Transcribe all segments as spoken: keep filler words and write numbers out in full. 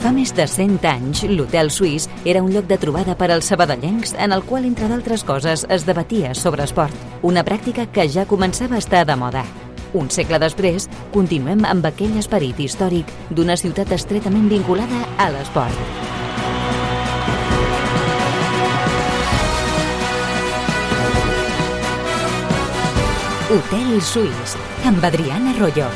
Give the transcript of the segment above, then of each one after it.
Fa més de cent anys, l'Hotel Suís era un lloc de trobada per als sabadellencs en el qual, entre d'altres coses, es debatia sobre esport. Una pràctica que ja començava a estar de moda. Un segle després, continuem amb aquell esperit històric d'una ciutat estretament vinculada a l'esport. Hotel Suís, amb Adriana Arroyo.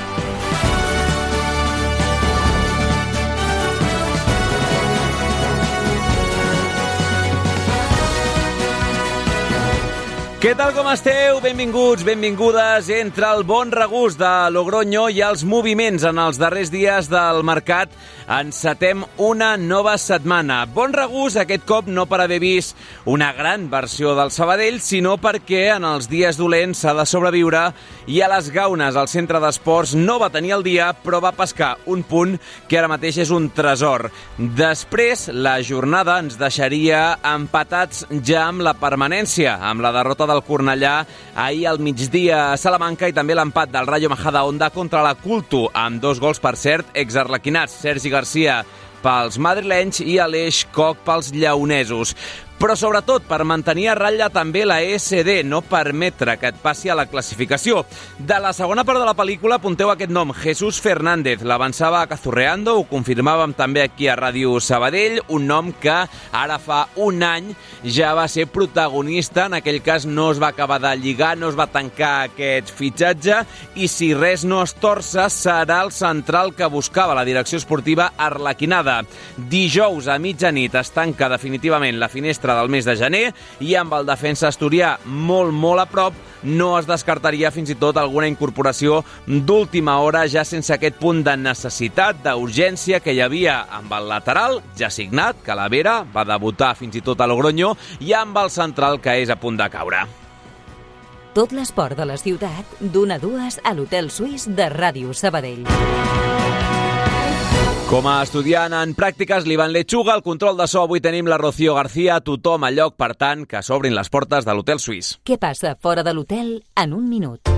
Què tal, com esteu? Benvinguts, benvingudes entre el bon regust de Logroño i els moviments en els darrers dies del mercat. Encetem una nova setmana. Bon regust aquest cop no per haver vist una gran versió del Sabadell, sinó perquè en els dies dolents s'ha de sobreviure i a les Gaunes, el centre d'esports, no va tenir el dia, però va pescar un punt que ara mateix és un tresor. Després, la jornada ens deixaria empatats ja amb la permanència, amb la derrota del Cornellà ahir al migdia a Salamanca i també l'empat del Rayo Majadahonda contra la Culto, amb dos gols, per cert, exarlequinats. Sergi Garcia pels madrilenys i Aleix Koch pels lleonesos. Però sobretot per mantenir a ratlla també la E S D, no permetre que et passi a la classificació. De la segona part de la pel·lícula apunteu aquest nom, Jesús Fernández. L'avançava a Cazurreando, ho confirmàvem també aquí a Ràdio Sabadell, un nom que ara fa un any ja va ser protagonista, en aquell cas no es va acabar de lligar, no es va tancar aquest fitxatge, i si res no es torça serà el central que buscava la direcció esportiva arlequinada. Dijous a mitjanit es tanca definitivament la finestra del mes de gener i amb el defensa asturià molt, molt a prop no es descartaria fins i tot alguna incorporació d'última hora ja sense aquest punt de necessitat, d'urgència que hi havia amb el lateral ja signat, Calavera, va debutar fins i tot a Logroño, i amb el central que és a punt de caure. Tot l'esport de la ciutat, d'una a dues a l'Hotel Suís de Ràdio Sabadell. Com a estudiant en pràctiques, l'Ivan Lechuga, al control de so, avui tenim la Rocío García, tothom a lloc, per tant, que s'obrin les portes de l'Hotel Suís. Què passa fora de l'hotel en un minut?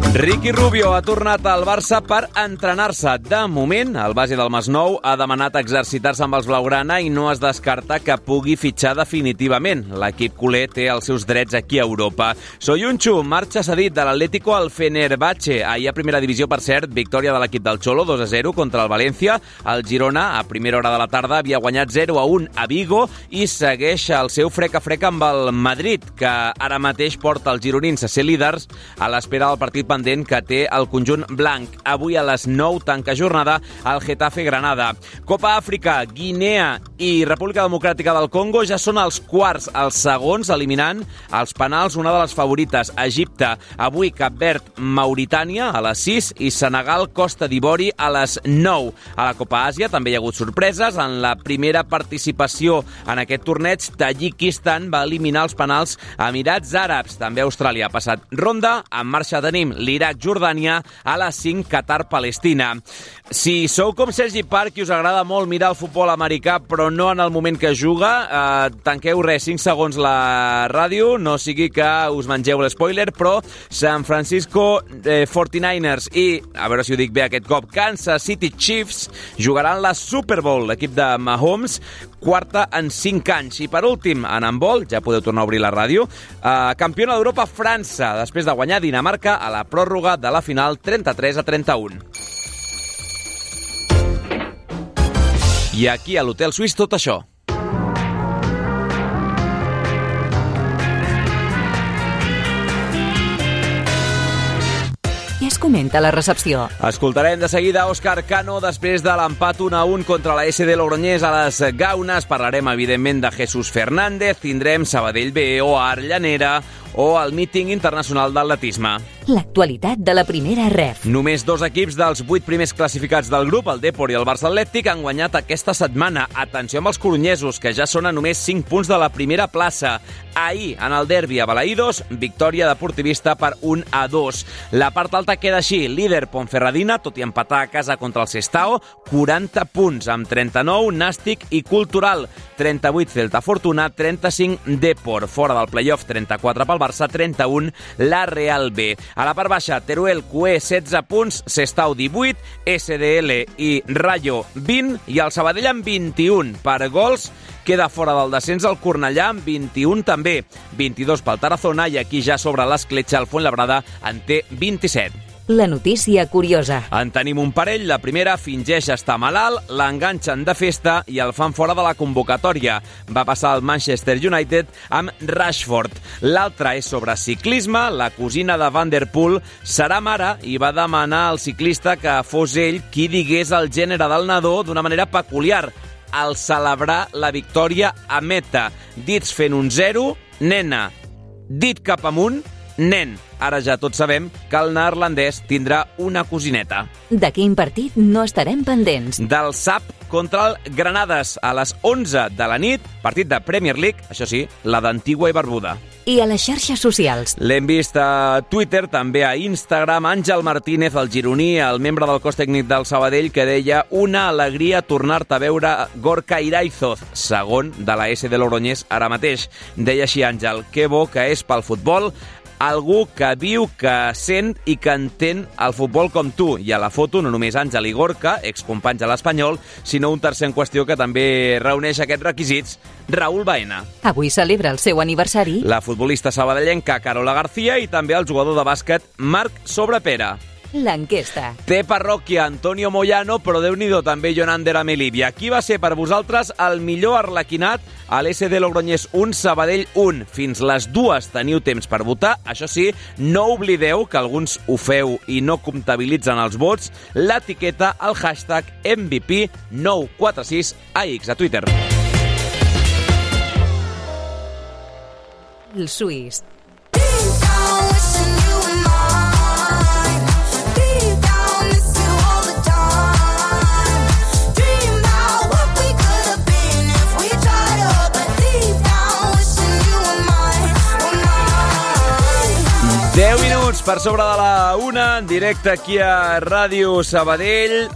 Ricky Rubio ha tornat al Barça per entrenar-se. De moment, el base del Masnou ha demanat exercitar-se amb els blaugrana i no es descarta que pugui fitxar definitivament. L'equip culer té els seus drets aquí a Europa. Soyuncu marxa cedit de l'Atlético al Fenerbahce. Ahir a primera divisió, per cert, victòria de l'equip del Cholo, dos a zero contra el València. El Girona, a primera hora de la tarda, havia guanyat zero a un a Vigo i segueix el seu freca-freca amb el Madrid, que ara mateix porta els gironins a ser líders a l'espera del partit pendent que té el conjunt blanc. Avui a les nou tanca jornada el Getafe Granada. Copa Àfrica, Guinea i República Democràtica del Congo ja són els quarts, els segons, eliminant els penals una de les favorites, Egipte. Avui Cap Verd, Mauritània a les sis i Senegal, Costa d'Ivori a les nou. A la Copa Àsia també hi ha hagut sorpreses. En la primera participació en aquest torneig, Tadjikistan va eliminar els penals a Emirats Àrabs. També Austràlia ha passat ronda. En marxa tenim l'Iraq-Jordània, a les cinc Qatar-Palestina. Si sou com Sergi Park i us agrada molt mirar el futbol americà, però no en el moment que juga, eh, tanqueu res, cinc segons la ràdio, no sigui que us mengeu l'espoiler, però San Francisco eh, quaranta-niners i, a veure si ho dic bé aquest cop, Kansas City Chiefs jugaran la Super Bowl, l'equip de Mahomes, quarta en cinc anys. I per últim, en handbol, ja podeu tornar a obrir la ràdio, eh, campiona d'Europa França, després de guanyar Dinamarca a la pròrroga de la final trenta-tres a trenta-un. I aquí a l'Hotel Suís tot això. Què es comenta a la recepció? Escoltarem de seguida Òscar Cano després de l'empat un a un contra la S D Logroñés a les Gaunes. Parlarem, evidentment, de Jesús Fernández. Tindrem Sabadell B o Arllanera o el míting internacional d'atletisme. L'actualitat de la primera ref. Només dos equips dels vuit primers classificats del grup, el Depor i el Barça Atlètic, han guanyat aquesta setmana. Atenció amb els coronyesos, que ja són a només cinc punts de la primera plaça. Ahir, en el derbi a Balaïdos, victòria deportivista per un a dos. La part alta queda així. Líder Ponferradina, tot i empatar a casa contra el Sestao, quaranta punts, amb trenta-nou Nàstic i Cultural, trenta-vuit Celta Fortuna, trenta-cinc Depor. Fora del playoff, trenta-quatre pel Barça Barça trenta-un, la Real B. A la part baixa, Teruel, Cué, setze punts, Sestao, divuit, S D L i Rayo, vint, i el Sabadell amb vint-i-un. Per gols, queda fora del descens el Cornellà amb vint-i-un també, vint-i-dos pel Tarazona, i aquí ja sobre l'escletxa el Fuenlabrada en té vint-i-set. La notícia curiosa. En tenim un parell. La primera fingeix estar malalt, l'enganxen de festa i el fan fora de la convocatòria. Va passar al Manchester United amb Rashford. L'altra és sobre ciclisme. La cosina de Van der Poel serà mare i va demanar al ciclista que fos ell qui digués el gènere del nadó d'una manera peculiar, al celebrar la victòria a meta. Dits fent un zero, nena. Dit cap amunt, nen. Ara ja tots sabem que el neerlandès tindrà una cosineta. De quin partit no estarem pendents? Del S A P contra el Granades a les onze de la nit, partit de Premier League, això sí, la d'Antigua i Barbuda. I a les xarxes socials? L'hem vist a Twitter, també a Instagram. Àngel Martínez, el gironí, el membre del cos tècnic del Sabadell, que deia una alegria tornar-te a veure Gorka Iraizoz, segon de la S de Logroñés ara mateix. Deia així Àngel, que bo que és pel futbol, algú que viu, que sent i que entén el futbol com tu. I a la foto no només Àngel i Gorka, excompanys a l'Espanyol, sinó un tercer en qüestió que també reuneix aquests requisits, Raúl Baena. Avui celebra el seu aniversari La futbolista sabadellenca Carola García i també el jugador de bàsquet Marc Sobrepera. L'enquesta. Té parròquia Antonio Moyano, però Déu-n'hi-do també Jonander Amelivia. Qui va ser per vosaltres el millor arlequinat a l'S D Logroñés un, Sabadell un? Fins les dues teniu temps per votar. Això sí, no oblideu que alguns ho feu i no comptabilitzen els vots. L'etiqueta al hashtag M V P nou quatre sis A X a Twitter. El suís. deu minuts per sobre de la una, en directe aquí a Ràdio Sabadell.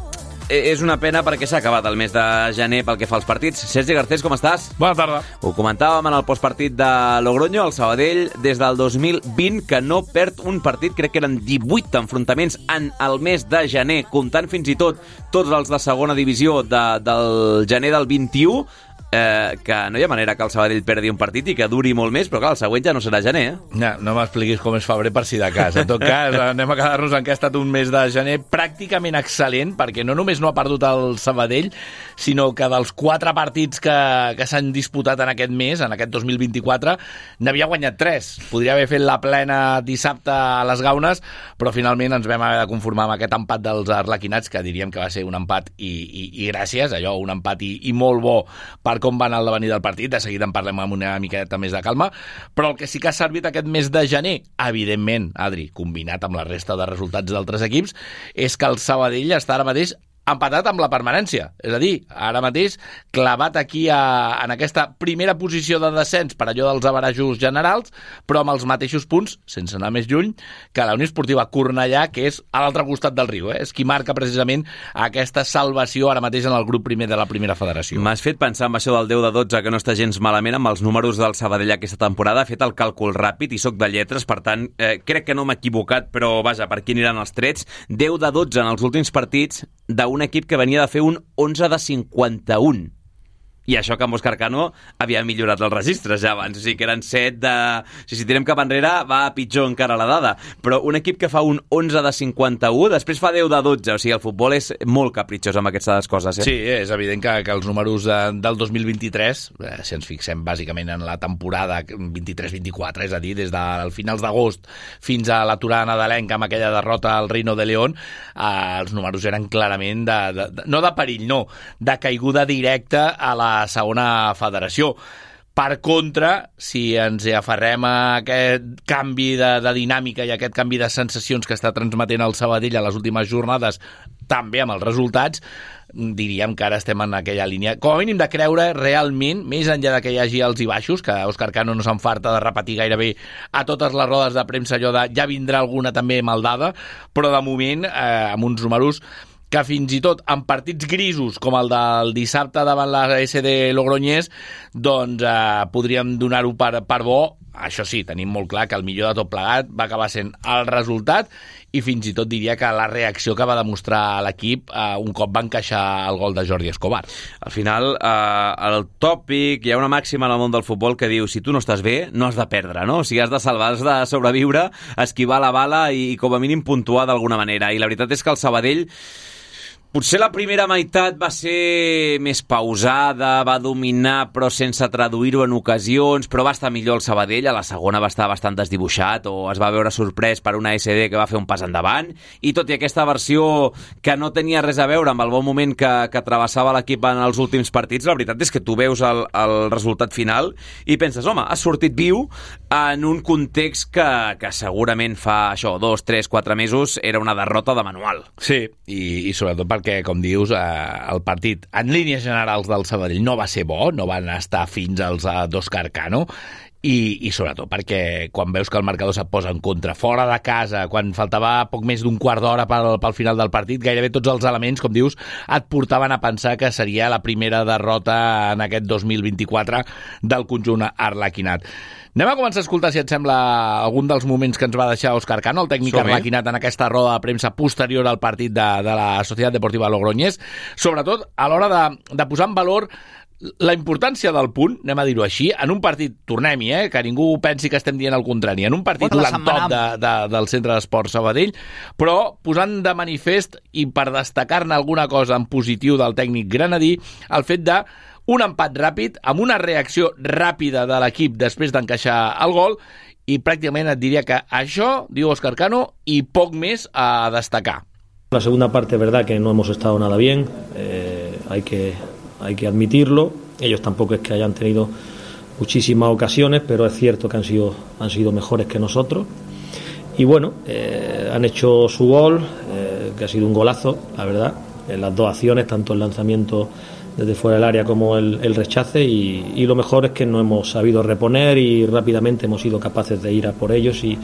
És una pena perquè s'ha acabat el mes de gener pel que fa als partits. Sergi Garcés, com estàs? Bona tarda. Ho comentàvem en el postpartit de Logroño, el Sabadell, des del dos mil vint, que no perd un partit. Crec que eren divuit enfrontaments en el mes de gener, comptant fins i tot tots els de segona divisió de, del gener del vint-i-u. Eh, que no hi ha manera que el Sabadell perdi un partit i que duri molt més, però clar, el següent ja no serà gener, eh? No, no m'expliquis com és febrer per si de cas. En tot cas, anem a quedar-nos en que ha estat un mes de gener pràcticament excel·lent, perquè no només no ha perdut el Sabadell, sinó que dels quatre partits que, que s'han disputat en aquest mes, en aquest dos mil vint-i-quatre, n'havia guanyat tres. Podria haver fet la plena dissabte a les Gaunes, però finalment ens vam haver de conformar amb aquest empat dels arlequinats, que diríem que va ser un empat i, i, i gràcies, allò, un empat i, i molt bo per com va anar el devenir del partit. De seguida en parlem amb una miqueta més de calma, però el que sí que ha servit aquest mes de gener, evidentment, Adri, combinat amb la resta de resultats d'altres equips, és que el Sabadell està ara mateix empatat amb la permanència. És a dir, ara mateix clavat aquí a, en aquesta primera posició de descens per allò dels averajos generals, però amb els mateixos punts, sense anar més lluny, que la Unió Esportiva Cornellà, que és a l'altre costat del riu. Eh? És qui marca precisament aquesta salvació ara mateix en el grup primer de la primera federació. M'has fet pensar en això del deu de dotze, que no està gens malament amb els números del Sabadell aquesta temporada. He fet el càlcul ràpid i sóc de lletres, per tant, eh, crec que no m'he equivocat, però vaja, per aquí aniran els trets. deu de dotze en els últims partits d'un equip que venia de fer un onze de cinquanta-un. I això que amb Òscar Cano havia millorat els registres ja abans, o sigui que eren set de... Si, si tirem cap enrere va pitjor encara la dada, però un equip que fa un onze de cinquanta-un, després fa deu de dotze, o sigui, el futbol és molt capritxós amb aquestes coses, eh? Sí, és evident que, que els números de, del dos mil vint-i-tres, eh, si ens fixem bàsicament en la temporada vint-i-tres vint-i-quatre, és a dir, des dels finals d'agost fins a l'aturada nadalenca amb aquella derrota al Reino de León, eh, els números eren clarament de, de, de, no de perill, no, de caiguda directa a la segona federació. Per contra, si ens aferrem a aquest canvi de, de dinàmica i aquest canvi de sensacions que està transmetent el Sabadell a les últimes jornades, també amb els resultats, diríem que ara estem en aquella línia, com a mínim de creure realment, més enllà de que hi hagi alts i baixos, que Òscar Cano no s'enfarta de repetir gairebé a totes les rodes de premsa allò de ja vindrà alguna també maldada, però de moment, eh, amb uns números que fins i tot en partits grisos com el del dissabte davant la S D Logroñés doncs eh, podríem donar-ho per, per bo. Això sí, tenim molt clar que el millor de tot plegat va acabar sent el resultat i fins i tot diria que la reacció que va demostrar l'equip eh, un cop va encaixar el gol de Jordi Escobar. Al final, eh, el tòpic, hi ha una màxima en el món del futbol que diu si tu no estàs bé, no has de perdre, no? O sigui, has de salvar, has de sobreviure, esquivar la bala i, i com a mínim puntuar d'alguna manera. I la veritat és que el Sabadell potser la primera meitat va ser més pausada, va dominar però sense traduir-ho en ocasions, però va estar millor el Sabadell, a la segona va estar bastant desdibuixat o es va veure sorprès per una S D que va fer un pas endavant, i tot i aquesta versió que no tenia res a veure amb el bon moment que, que travessava l'equip en els últims partits, la veritat és que tu veus el, el resultat final i penses, home, has sortit viu en un context que, que segurament fa això, dos, tres, quatre mesos era una derrota de manual. Sí, i, i sobretot per perquè, com dius, eh, el partit en línies generals del Sabadell no va ser bo, no van estar fins als eh, d'Òscar Cano, i, i sobretot perquè quan veus que el marcador se't posa en contra, fora de casa, quan faltava poc més d'un quart d'hora pel, pel final del partit, gairebé tots els elements, com dius, et portaven a pensar que seria la primera derrota en aquest dos mil vint-i-quatre del conjunt arlequinat. Anem a començar a escoltar, si et sembla, algun dels moments que ens va deixar Òscar Cano, el tècnic arlequinat, en aquesta roda de premsa posterior al partit de, de la Societat Deportiva Logroñés, sobretot a l'hora de, de posar en valor la importància del punt, anem a dir-ho així, en un partit, tornem-hi, eh, que ningú pensi que estem dient el contrari, en un partit dolentop de, de, del Centre d'Esports Sabadell, però posant de manifest, i per destacar-ne alguna cosa en positiu del tècnic granadí, el fet de un empat ràpid, amb una reacció ràpida de l'equip després d'encaixar el gol, i pràcticament et diria que això, diu Òscar Cano, i poc més a destacar. La segunda parte, verdad que no hemos estado nada bien, eh, hay que, hay que admitirlo. Ellos tampoco es que hayan tenido muchísimas ocasiones, pero es cierto que han sido, han sido mejores que nosotros. Y bueno, eh, han hecho su gol, eh, que ha sido un golazo, la verdad, en las dos acciones, tanto el lanzamiento desde fuera del área como el, el rechace, y, y lo mejor es que no hemos sabido reponer y rápidamente hemos sido capaces de ir a por ellos y,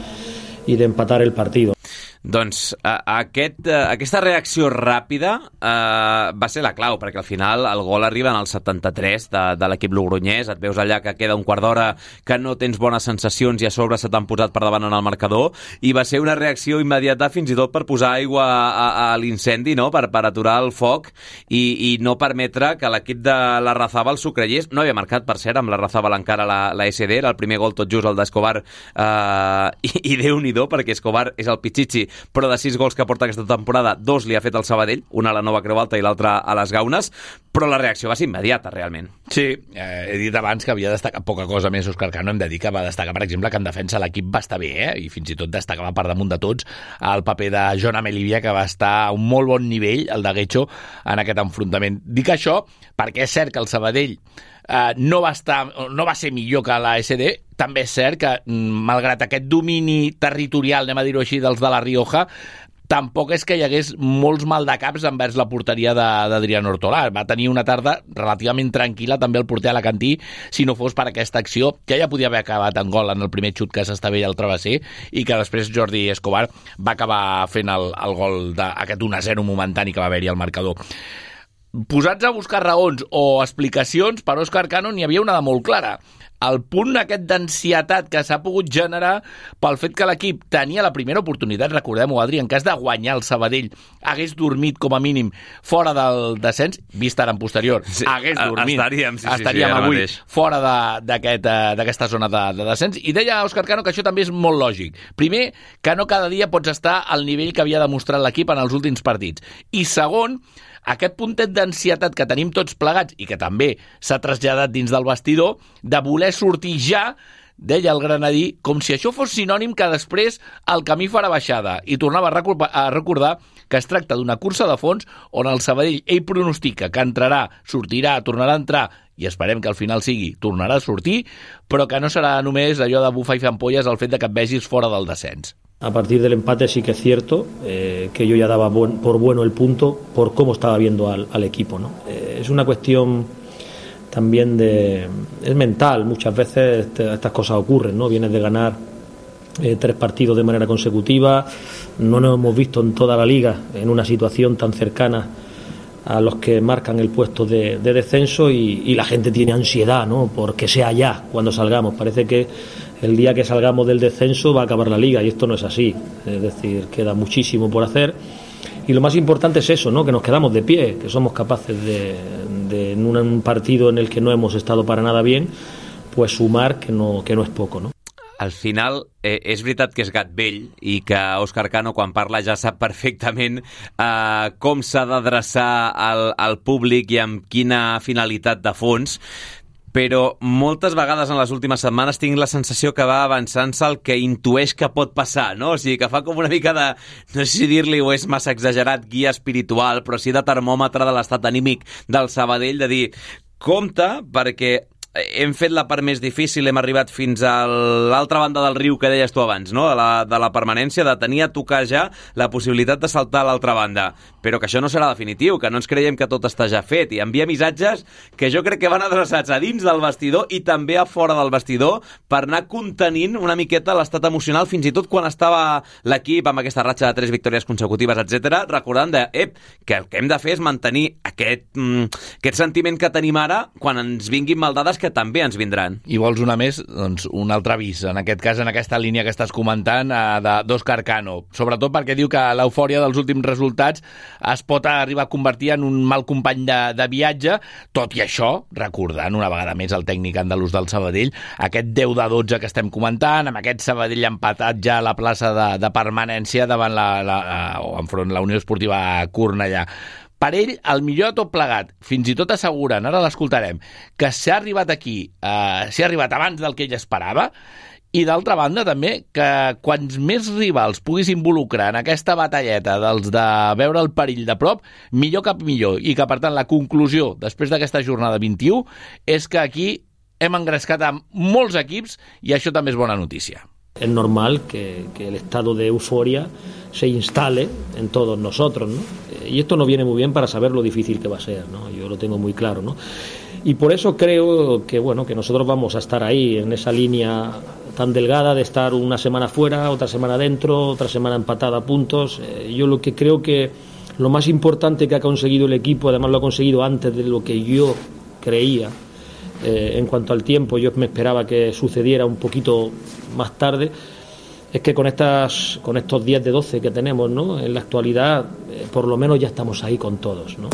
y de empatar el partido. Doncs a, aquest, a, aquesta reacció ràpida eh, va ser la clau, perquè al final el gol arriba en el setanta-tres de, de l'equip logroñès, et veus allà que queda un quart d'hora que no tens bones sensacions i a sobre se t'han posat per davant en el marcador, i va ser una reacció immediata fins i tot per posar aigua a, a l'incendi, no? per, per aturar el foc i, i no permetre que l'equip de la Razabal s'ho creiés. No havia marcat, per cert, amb la Razabal encara la, la S D, era el primer gol tot just el d'Escobar, eh, i, i Déu-n'hi-do, perquè Escobar és el pitxitxi, però de sis gols que porta aquesta temporada, dos li ha fet el Sabadell, una a la Nova Creu Alta i l'altra a les Gaunes, però la reacció va ser immediata, realment. Sí, eh, he dit abans que havia destacat poca cosa més Òscar Cano, hem de dir que va destacar, per exemple, que en defensa l'equip va estar bé, eh? I fins i tot destacava per damunt de tots el paper de Jon Amelivia, que va estar a un molt bon nivell, el de Guecho, en aquest enfrontament. Dic això perquè és cert que el Sabadell Uh, no, va estar, no va ser millor que la S D, també és cert que, malgrat aquest domini territorial, anem a dir-ho així, dels de la Rioja, tampoc és que hi hagués molts maldecaps envers la porteria d'Adrián Hortolà. Va tenir una tarda relativament tranquil·la també el porter alacantí, si no fos per aquesta acció, que ja podia haver acabat en gol en el primer xut que s'estavella al travesser, i que després Jordi Escobar va acabar fent el, el gol d'aquest un a zero momentani que va haver-hi al marcador. Posats a buscar raons o explicacions, per Òscar Cano n'hi havia una de molt clara. El punt aquest d'ansietat que s'ha pogut generar pel fet que l'equip tenia la primera oportunitat, recordem-ho, Adri, en cas de guanyar el Sabadell, hagués dormit com a mínim fora del descens, vist ara en posterior, sí, hagués dormit, estaríem, sí, estaríem sí, sí, avui mateix fora d'aquesta aquest, zona de, de descens, i deia Òscar Cano que això també és molt lògic. Primer, que no cada dia pots estar al nivell que havia demostrat l'equip en els últims partits, i segon, aquest puntet d'ansietat que tenim tots plegats i que també s'ha traslladat dins del vestidor, de voler sortir ja, deia el granadí, com si això fos sinònim que després el camí farà baixada, i tornava a recordar que es tracta d'una cursa de fons on el Sabadell ell pronostica que entrarà, sortirà, tornarà a entrar, i esperem que al final sigui, tornarà a sortir, però que no serà només allò de bufar i fer ampolles el fet de que et vegis fora del descens. A partir del empate sí que es cierto eh, que yo ya daba buen, por bueno el punto por cómo estaba viendo al, al equipo, ¿no? Eh, es una cuestión también de... es mental, muchas veces este, estas cosas ocurren, ¿no? Vienes de ganar eh, tres partidos de manera consecutiva, no nos hemos visto en toda la liga en una situación tan cercana a los que marcan el puesto de, de descenso y, y la gente tiene ansiedad, ¿no?, porque sea ya cuando salgamos. Parece que el día que salgamos del descenso va a acabar la liga y esto no es así, es decir, queda muchísimo por hacer y lo más importante es eso, ¿no?, que nos quedamos de pie, que somos capaces de, de en un partido en el que no hemos estado para nada bien, pues sumar, que no, que no es poco, ¿no? Al final, eh, és veritat que és gat vell i que Òscar Cano, quan parla, ja sap perfectament eh, com s'ha d'adreçar al, al públic i amb quina finalitat de fons, però moltes vegades en les últimes setmanes tinc la sensació que va avançant-se el que intueix que pot passar, no? O sigui, que fa com una mica de, no sé si dir-li o és massa exagerat, guia espiritual, però sí de termòmetre de l'estat anímic del Sabadell, de dir, compte, perquè hem fet la part més difícil, hem arribat fins a l'altra banda del riu que deies tu abans, no?, de la, de la permanència, de tenir a tocar ja la possibilitat de saltar a l'altra banda, però que això no serà definitiu, que no ens creiem que tot està ja fet, i envia missatges que jo crec que van adreçats a dins del vestidor i també a fora del vestidor per anar contenint una miqueta l'estat emocional, fins i tot quan estava l'equip amb aquesta ratxa de tres victòries consecutives, etcètera, recordant de, ep, que el que hem de fer és mantenir aquest, mm, aquest sentiment que tenim ara quan ens vinguin maldades que també ens vindran. I vols una més? Doncs un altre avís, en aquest cas, en aquesta línia que estàs comentant, eh, d'Òscar Cano. Sobretot perquè diu que l'eufòria dels últims resultats es pot arribar a convertir en un mal company de, de viatge, tot i això, recordant una vegada més el tècnic andalús del Sabadell, aquest deu de dotze que estem comentant, amb aquest Sabadell empatat ja a la plaça de, de permanència davant la, la, o enfront la Unió Esportiva Cornellà. Per ell, el millor de tot plegat, fins i tot asseguren, ara l'escoltarem, que s'ha arribat aquí, eh, s'ha arribat abans del que ell esperava, i d'altra banda també que quants més rivals puguis involucrar en aquesta batalleta dels de veure el perill de prop, millor que millor, i que per tant la conclusió després d'aquesta jornada vint-i-u és que aquí hem engrescat amb molts equips i això també és bona notícia. Es normal que, que el estado de euforia se instale en todos nosotros, ¿no? Y esto no viene muy bien para saber lo difícil que va a ser, ¿no? Yo lo tengo muy claro, ¿no? Y por eso creo que, bueno, que nosotros vamos a estar ahí, en esa línea tan delgada de estar una semana fuera, otra semana dentro, otra semana empatada a puntos. Eh, yo lo que creo que lo más importante que ha conseguido el equipo, además lo ha conseguido antes de lo que yo creía, Eh, en cuanto al tiempo, yo me esperaba que sucediera un poquito más tarde, es que con estas con estos diez de doce que tenemos, ¿no?, en la actualidad, eh, por lo menos ya estamos ahí con todos, ¿no?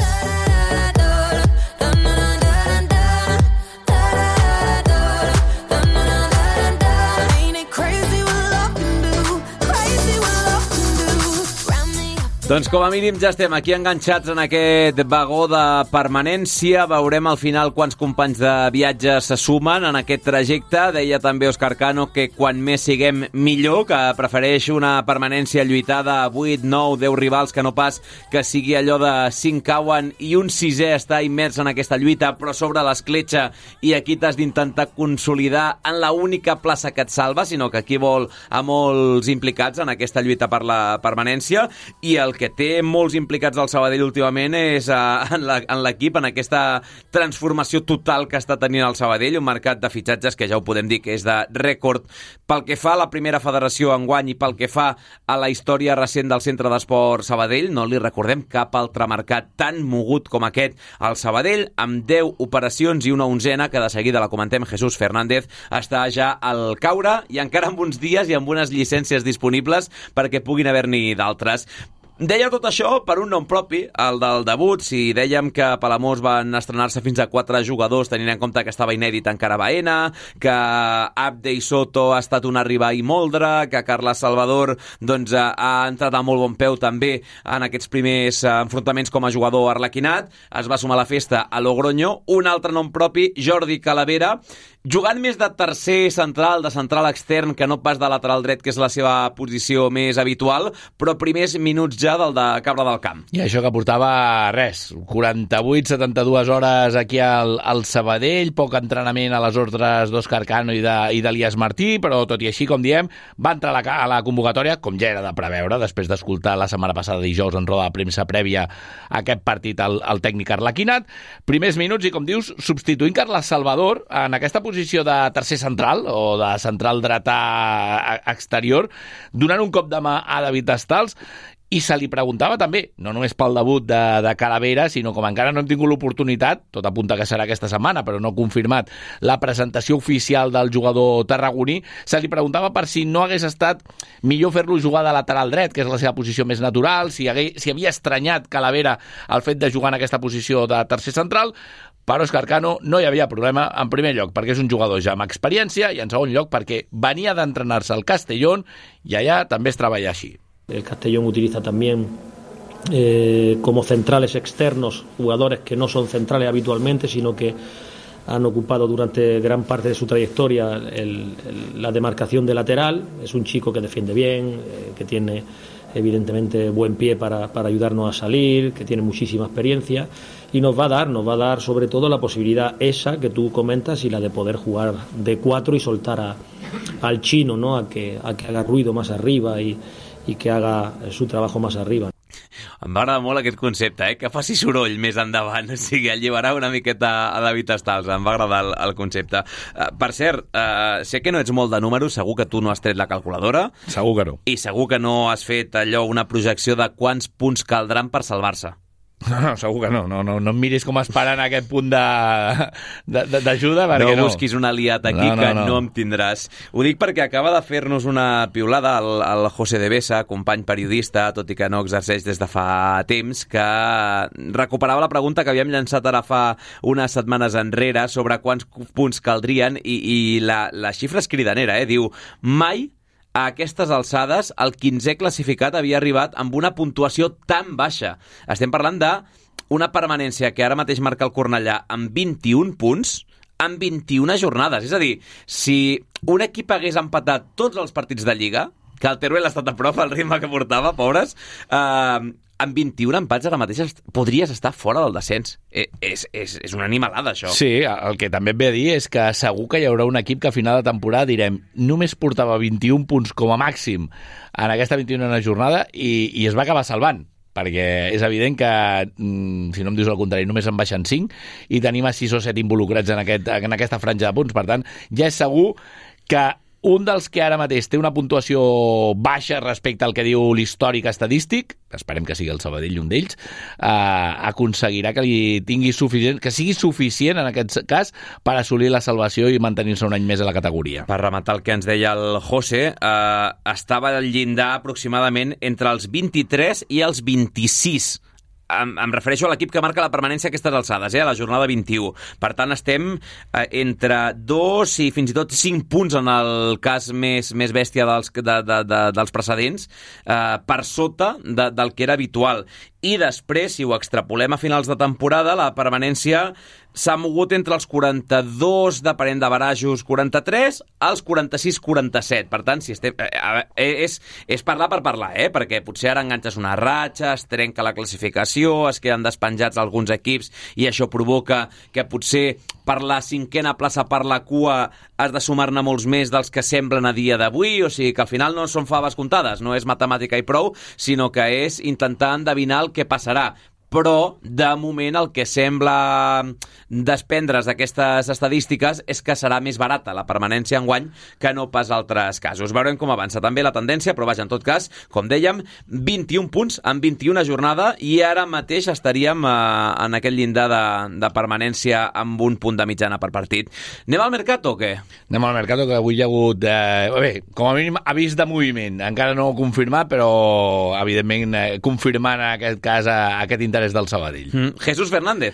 Doncs com a mínim ja estem aquí enganxats en aquest vagó de permanència. Veurem al final quants companys de viatge se sumen en aquest trajecte. Deia també Òscar Cano que quan més siguem millor, que prefereix una permanència lluitada a vuit, nou, deu rivals, que no pas que sigui allò de cinc cauen i un sisè està immers en aquesta lluita, però sobre l'escletxa, i aquí t'has d'intentar consolidar en la única plaça que et salva, sinó que aquí vol a molts implicats en aquesta lluita per la permanència, i el que té molts implicats al Sabadell últimament és uh, en l'equip, en aquesta transformació total que està tenint el Sabadell, un mercat de fitxatges que ja ho podem dir que és de rècord pel que fa a la primera federació enguany i pel que fa a la història recent del Centre d'Esport Sabadell. No li recordem cap altre mercat tan mogut com aquest al Sabadell, amb deu operacions i una onzena que de seguida la comentem. Jesús Fernández està ja al caure i encara amb uns dies i amb unes llicències disponibles perquè puguin haver-n'hi d'altres. Deia tot això per un nom propi, el del debut. Si dèiem que a Palamós van estrenar-se fins a quatre jugadors, tenint en compte que estava inèdit encara Baena, que Abde i Soto ha estat un arribar i moldre, que Carles Salvador doncs, ha entrat a molt bon peu també en aquests primers enfrontaments com a jugador arlequinat, es va sumar a la festa a Logroño. Un altre nom propi, Jordi Calavera, jugant més de tercer central, de central extern, que no pas de lateral dret, que és la seva posició més habitual, però primers minuts mitjà del de Cabra del Camp. I això que portava res, quaranta-vuit setanta-dues hores aquí al, al Sabadell, poc entrenament a les ordres d'Òscar Cano i d'Elias Martí, però tot i així, com diem, va entrar a la, a la convocatòria, com ja era de preveure, després d'escoltar la setmana passada dijous en roda de premsa prèvia a aquest partit al, al tècnic Arlequinat. Primers minuts i, com dius, substituint Carles Salvador en aquesta posició de tercer central o de central dretà exterior, donant un cop de mà a David Estals. I se li preguntava també, no només pel debut de, de Calavera, sinó com encara no hem tingut l'oportunitat, tot apunta que serà aquesta setmana, però no confirmat, la presentació oficial del jugador tarragoní, se li preguntava per si no hagués estat millor fer-lo jugar de lateral dret, que és la seva posició més natural, si, hagués, si havia estranyat Calavera el fet de jugar en aquesta posició de tercer central. Per Òscar Cano no hi havia problema, en primer lloc perquè és un jugador ja amb experiència i en segon lloc perquè venia d'entrenar-se al Castellón i allà també es treballa així. El Castellón utiliza también eh, como centrales externos jugadores que no son centrales habitualmente, sino que han ocupado durante gran parte de su trayectoria el, el, la demarcación de lateral. Es un chico que defiende bien, eh, que tiene evidentemente buen pie para, para ayudarnos a salir, que tiene muchísima experiencia y nos va a dar, nos va a dar sobre todo la posibilidad esa que tú comentas y la de poder jugar de cuatro y soltar a, al chino, ¿no? a, que, a que haga ruido más arriba y i que haga su trabajo más arriba. Em va agradar molt aquest concepte, eh? Que faci soroll més endavant, o sigui, alliberar una miqueta a David Estals, em va agradar el, el concepte. Uh, per cert, uh, sé que no ets molt de números, segur que tu no has tret la calculadora. Segur que no. I segur que no has fet allò, una projecció de quants punts caldran per salvar-se. No, no, segur que no. No, no, no em miris com esperant aquest punt d'ajuda, perquè no. No busquis un aliat aquí, no, no, que no. no em tindràs. Ho dic perquè acaba de fer-nos una piulada el, el José de Besa, company periodista, tot i que no exerceix des de fa temps, que recuperava la pregunta que havíem llançat ara fa unes setmanes enrere sobre quants punts caldrien, i, i la, la xifra és cridanera, eh? Diu, mai a aquestes alçades, el quinzè classificat havia arribat amb una puntuació tan baixa. Estem parlant d'una permanència que ara mateix marca el Cornellà amb vint-i-un punts, amb vint-i-una jornades. És a dir, si un equip hagués empatat tots els partits de Lliga, que el Teruel ha estat a prop al ritme que portava, pobres, eh, amb vint-i-un empats ara mateix podries estar fora del descens. Eh, és, és, és una animalada, això. Sí, el que també et ve a dir és que segur que hi haurà un equip que a final de temporada direm només portava vint-i-un punts com a màxim en aquesta vint-i-una jornada i, i es va acabar salvant, perquè és evident que, si no em dius el contrari, només en baixen cinc i tenim a sis o set involucrats en, aquest, en aquesta franja de punts. Per tant, ja és segur que un dels que ara mateix té una puntuació baixa respecte al que diu l'històric estadístic, esperem que sigui el Sabadell un d'ells, eh, aconseguirà que li tingui suficient, que sigui suficient en aquest cas per assolir la salvació i mantenir-se un any més a la categoria. Per rematar el que ens deia el José, eh, estava al llindar aproximadament entre els vint-i-tres i els vint-i-sis. Em, em refereixo a l'equip que marca la permanència a aquestes alçades, eh, a la jornada vint-i-u. Per tant, estem eh, entre dos i fins i tot cinc punts en el cas més, més bèstia dels, de, de, de, dels precedents, eh, per sota de, del que era habitual. I després, si ho extrapolem a finals de temporada, la permanència s'ha mogut entre els quaranta-dos, depenent de barajos, quaranta-tres, als quaranta-sis quaranta-set. Per tant, si estem, eh, és, és parlar per parlar, eh? Perquè potser ara enganxes una ratxa, es trenca la classificació, es queden despenjats alguns equips i això provoca que potser per la cinquena plaça, per la cua, has de sumar-ne molts més dels que semblen a dia d'avui, o sigui que al final no són faves comptades, no és matemàtica i prou, sinó que és intentar endevinar el que passarà. Però, de moment, el que sembla desprendre's d'aquestes estadístiques és que serà més barata la permanència enguany que no pas altres casos. Veurem com avança també la tendència, però vaja, en tot cas, com dèiem, vint-i-un punts en vint-i-una jornada i ara mateix estaríem eh, en aquest llindar de, de permanència amb un punt de mitjana per partit. Anem al Mercato o què? Anem al Mercato, que avui hi ha hagut, eh, bé, com a mínim avís de moviment. Encara no confirmat, però evidentment eh, confirmant en aquest cas eh, aquest interès del Sabadell. Mm. Jesús Fernández.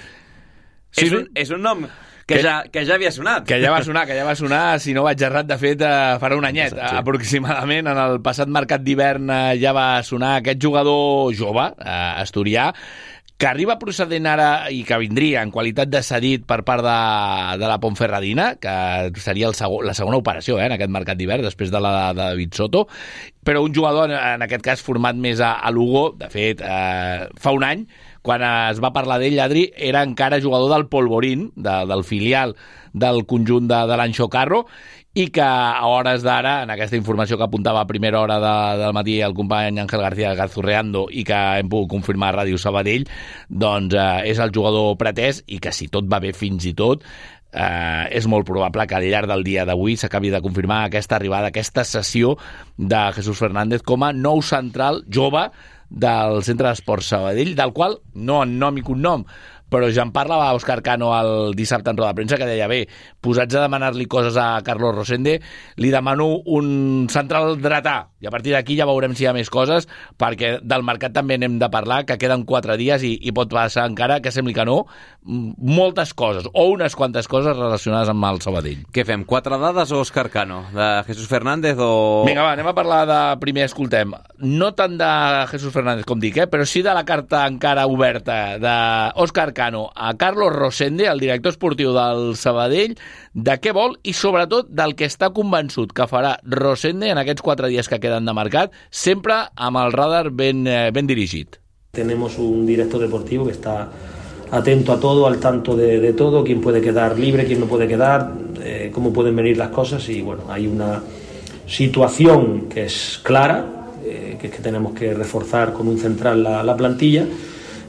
Sí, és, un, és un nom que, que, ja, que ja havia sonat. Que ja va sonar, que ja va sonar, si no vaig errat, de fet, eh, farà un anyet, sí. aproximadament. En el passat mercat d'hivern eh, ja va sonar aquest jugador jove, eh, asturià, que arriba procedent ara i que vindria en qualitat de cedit per part de, de la Ponferradina, que seria el segon, la segona operació eh, en aquest mercat d'hivern, després de la de David Soto, però un jugador, en aquest cas, format més a, a Lugo. De fet, eh, fa un any, quan es va parlar d'ell, Adri, era encara jugador del Polvorín, de, del filial del conjunt de, de l'Anxo Carro, i que a hores d'ara, en aquesta informació que apuntava a primera hora de, del matí el company Ángel García Gazurreando i que hem pogut confirmar a Ràdio Sabadell, doncs eh, és el jugador pretès i que si tot va bé fins i tot, eh, és molt probable que al llarg del dia d'avui s'acabi de confirmar aquesta arribada, aquesta cessió de Jesús Fernández com a nou central jove del Centre d'Esports Sabadell, del qual no en nom i cognom, però ja en parlava Òscar Cano el dissabte en roda de premsa, que deia, bé, posats a demanar-li coses a Carlos Rosende, li demano un central dretà, i a partir d'aquí ja veurem si hi ha més coses, perquè del mercat també n'hem de parlar, que queden quatre dies i, i pot passar encara, que sembli que no, moltes coses, o unes quantes coses relacionades amb el Sabadell. Què fem, quatre dades o Òscar Cano? De Jesús Fernández o... Vinga, va, anem a parlar de... Primer, escoltem, no tant de Jesús Fernández com dic, eh, però sí de la carta encara oberta d'Òscar Cano a Carlos Rosende, el director esportiu del Sabadell, de què vol i sobretot del que està convençut que farà Rosende en aquests quatre dies que queden de mercat, sempre amb el radar ben, ben dirigit. Tenemos un director deportivo que está atento a todo, al tanto de, de todo, quién puede quedar libre, quién no puede quedar, eh, cómo pueden venir las cosas, y bueno, hay una situación que es clara, eh, que es que tenemos que reforzar con un central la, la plantilla,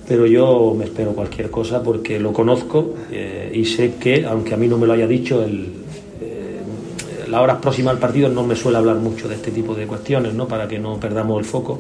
pero yo me espero cualquier cosa porque lo conozco eh, y sé que, aunque a mí no me lo haya dicho, el, eh, las horas próximas al partido no me suele hablar mucho de este tipo de cuestiones, ¿no? Para que no perdamos el foco,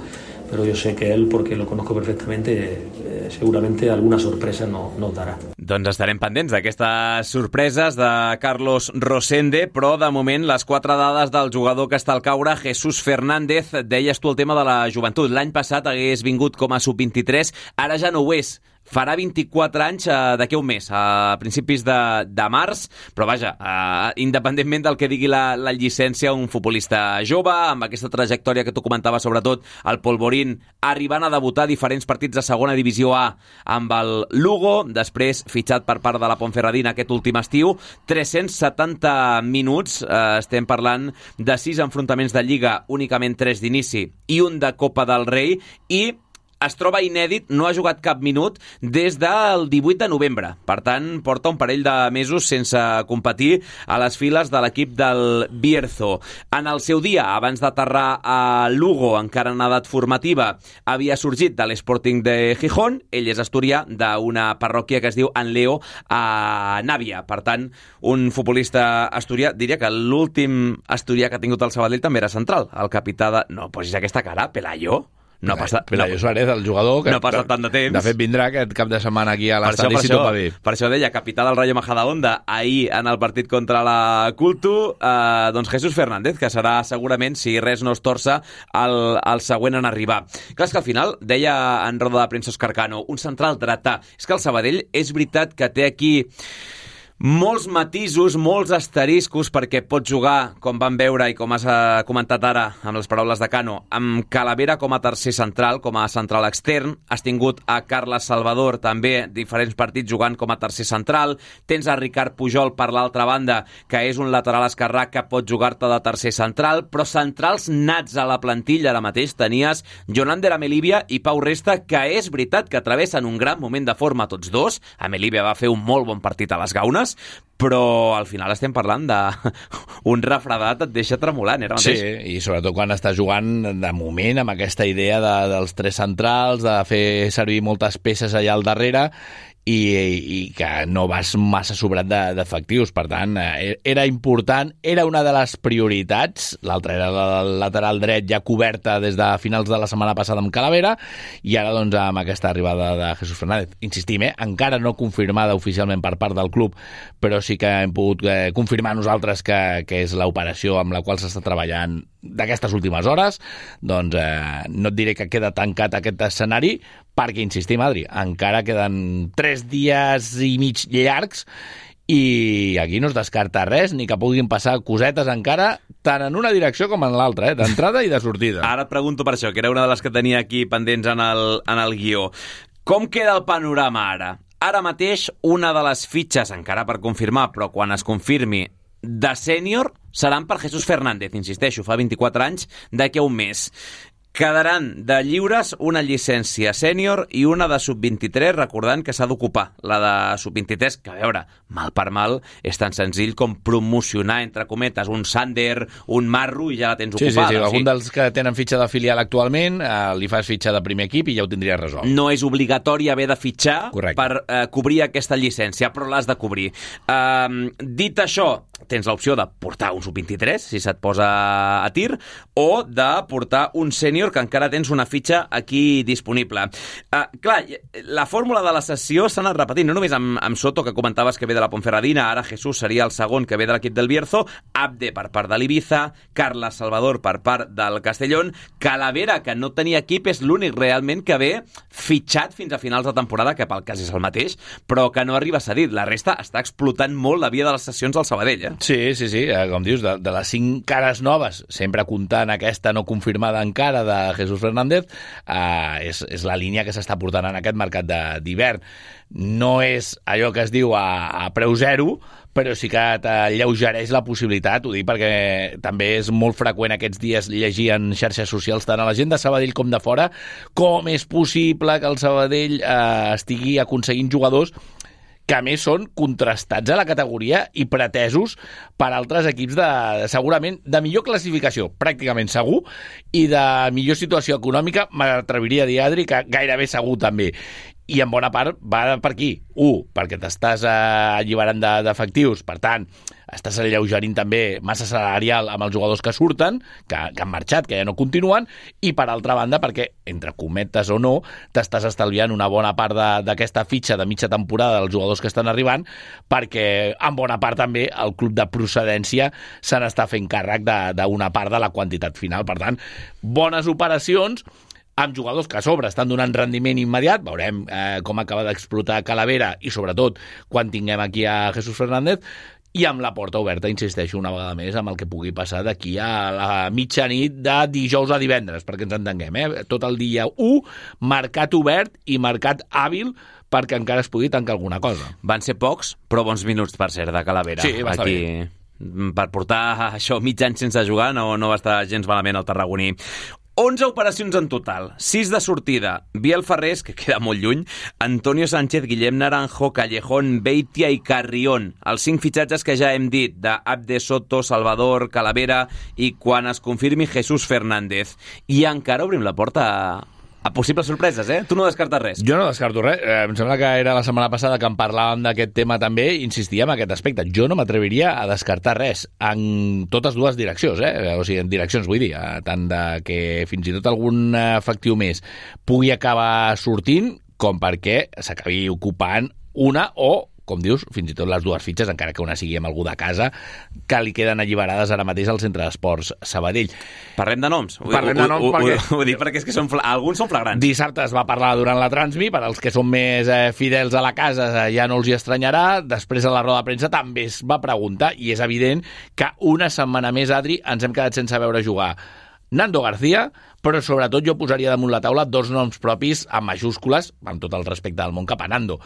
pero yo sé que él, porque lo conozco perfectamente, eh, seguramente alguna sorpresa no, nos darà. Doncs estarem pendents d'aquestes sorpreses de Carlos Rosende, però de moment les quatre dades del jugador que està al caure, Jesús Fernández. Deies tu el tema de la joventut. L'any passat hagués vingut com a sub vint-i-tres, ara ja no ho és. Farà vint-i-quatre anys eh, d'aquí un mes, a principis de, de març, però vaja, eh, independentment del que digui la, la llicència, un futbolista jove, amb aquesta trajectòria que tu comentaves, sobretot el Polvorín, arribant a debutar diferents partits de segona divisió A amb el Lugo, després fitxat per part de la Ponferradina aquest últim estiu, tres-cents setanta minuts, eh, estem parlant de sis enfrontaments de Lliga, únicament tres d'inici i un de Copa del Rei, i es troba inèdit, no ha jugat cap minut des del divuit de novembre. Per tant, porta un parell de mesos sense competir a les files de l'equip del Bierzo. En el seu dia, abans d'aterrar a Lugo, encara en edat formativa, havia sorgit de l'Sporting de Gijón. Ell és asturià, d'una parròquia que es diu Anleo, a Nàvia. Per tant, un futbolista asturià, diria que l'últim asturià que ha tingut el Sabadell també era central. El capità de... No posis aquesta cara, Pelayo. No ha passat... Pelayo Suárez, el jugador... Que, no ha passat tant de temps. De fet, vindrà aquest cap de setmana aquí a l'estadi si tot va bé. Per això deia, capità del Rayo Majadahonda, ahir en el partit contra la Cultu, eh, doncs Jesús Fernández, que serà segurament, si res no es torça, el, el següent en arribar. Clar, és que al final, deia en roda de premsa Òscar Cano, un central dretà. És que el Sabadell és veritat que té aquí molts matisos, molts asteriscos, perquè pot jugar, com vam veure i com has comentat ara amb les paraules de Cano, amb Calavera com a tercer central, com a central extern. Has tingut a Carles Salvador també diferents partits jugant com a tercer central. Tens a Ricard Pujol per l'altra banda, que és un lateral esquerrà que pot jugar-te de tercer central, però centrals nats a la plantilla ara mateix tenies Jonander Amelibia i Pau Resta, que és veritat que travessen un gran moment de forma tots dos. Amelibia va fer un molt bon partit a les Gaunes, però al final estem parlant d'un refredat et deixa tremolant, era mateix. Sí, i sobretot quan està jugant de moment amb aquesta idea de, dels tres centrals, de fer servir moltes peces allà al darrere, i, i que no vas massa sobrat d'efectius. Per tant, era important, era una de les prioritats. L'altra era el lateral dret ja coberta des de finals de la setmana passada amb Calavera, i ara doncs amb aquesta arribada de Jesús Fernández. Insistim, eh? encara no confirmada oficialment per part del club, però sí que hem pogut eh, confirmar nosaltres que, que és l'operació amb la qual s'està treballant d'aquestes últimes hores. Doncs eh, no et diré que queda tancat aquest escenari, perquè, insistim, Adri, encara queden tres dies i mig llargs i aquí no es descarta res, ni que puguin passar cosetes encara, tant en una direcció com en l'altra, eh? d'entrada i de sortida. Ara et pregunto per això, que era una de les que tenia aquí pendents en el, en el guió. Com queda el panorama ara? Ara mateix, una de les fitxes, encara per confirmar, però quan es confirmi, de sènior, seran per Jesús Fernández, insisteixo, fa vint-i-quatre anys, d'aquí a un mes. Quedaran de lliures una llicència sènior i una de sub vint-i-tres, recordant que s'ha d'ocupar la de sub vint-i-tres, que a veure, mal per mal, és tan senzill com promocionar, entre cometes, un Sander, un Marro, i ja la tens sí, ocupada. Sí, sí, sí. Algun dels que tenen fitxa de filial actualment, eh, li fas fitxa de primer equip i ja ho tindries resolt. No és obligatori haver de fitxar Correcte. per eh, cobrir aquesta llicència, però l'has de cobrir. Eh, dit això, tens l'opció de portar un sub vint-i-tres, si se't posa a tir, o de portar un sènior que encara tens una fitxa aquí disponible. Uh, clar, la fórmula de la sessió s'ha anat repetint, no només amb, amb Soto, que comentaves que ve de la Ponferradina, ara Jesús seria el segon que ve de l'equip del Bierzo, Abde per part de l'Ibiza, Carles Salvador per part del Castellón, Calavera, que no tenia equip, és l'únic realment que ve fitxat fins a finals de temporada, que pel cas és el mateix, però que no arriba a cedir. La resta està explotant molt la via de les sessions del Sabadell, eh? Sí, sí, sí, com dius, de, de les cinc cares noves, sempre comptant aquesta no confirmada encara de Jesús Fernández, eh, és, és la línia que s'està portant en aquest mercat d'hivern. No és allò que es diu a, a preu zero, però sí que t'alleugereix la possibilitat, ho dic perquè també és molt freqüent aquests dies llegir en xarxes socials tant a la gent de Sabadell com de fora com és possible que el Sabadell eh, estigui aconseguint jugadors que a més són contrastats a la categoria i pretesos per altres equips de, segurament, de millor classificació, pràcticament segur, i de millor situació econòmica, m'atreviria a dir, Adri, que gairebé segur també. I en bona part va per aquí. Un, perquè t'estàs eh, alliberant d'efectius, per tant, estàs alleugerint també massa salarial amb els jugadors que surten, que, que han marxat, que ja no continuen, i per altra banda perquè, entre cometes o no, t'estàs estalviant una bona part d'aquesta fitxa de mitja temporada dels jugadors que estan arribant, perquè en bona part també el club de procedència se n'està fent càrrec d'una part de la quantitat final. Per tant, bones operacions amb jugadors que a sobre estan donant rendiment immediat, veurem eh, com acaba d'explotar Calavera i sobretot quan tinguem aquí a Jesús Fernández, i amb la porta oberta, insisteixo una vegada més, amb el que pugui passar d'aquí a la mitjanit de dijous a divendres, perquè ens entenguem, eh? Tot el dia u, mercat obert i mercat hàbil perquè encara es pugui tancar alguna cosa. Van ser pocs, però bons minuts, per cert, de Calavera. Sí, va estar aquí. bé. Per portar això mig any sense jugar no, no va estar gens malament el tarragoní. onze operacions en total, sis de sortida, Biel Ferrés, que queda molt lluny, Antonio Sánchez, Guillem Naranjo, Callejón, Beitia i Carrión. Els cinc fitxatges que ja hem dit, de Abde, Soto, Salvador, Calavera i quan es confirmi Jesús Fernández. I encara obrim la porta a, a possibles sorpreses, eh? Tu no descartes res. Jo no descarto res. Eh, em sembla que era la setmana passada que en parlàvem d'aquest tema també, insistia en aquest aspecte. Jo no m'atreviria a descartar res en totes dues direccions, eh? O sigui, en direccions, vull dir, tant de que fins i tot algun efectiu més pugui acabar sortint, com perquè s'acabi ocupant una o, com dius, fins i tot les dues fitxes, encara que una sigui amb algú de casa, que li queden alliberades ara mateix al Centre d'Esports Sabadell. Parlem de noms. Parlem de noms ho, perquè... Ho, ho, ho dic perquè és que són, alguns són flagrants. Dissabte es va parlar durant la Transmi, per als que són més eh, fidels a la casa eh, ja no els hi estranyarà. Després a la roda de premsa també es va preguntar, i és evident que una setmana més, Adri, ens hem quedat sense veure jugar Nando García, però sobretot jo posaria damunt la taula dos noms propis amb majúscules, amb tot el respecte del món cap a Nando.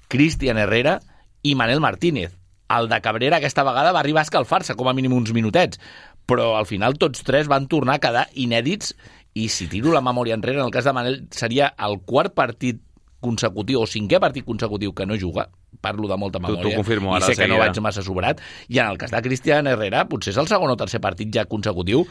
Cristian Herrera i Manel Martínez. El de Cabrera aquesta vegada va arribar a escalfar-se com a mínim uns minutets, però al final tots tres van tornar a quedar inèdits, i si tiro la memòria enrere, en el cas de Manel seria el quart partit consecutiu o cinquè partit consecutiu que no juga, parlo de molta memòria, tu, tu confirmo, i sé que no vaig massa sobrat, i en el cas de Cristian Herrera potser és el segon o tercer partit ja consecutiu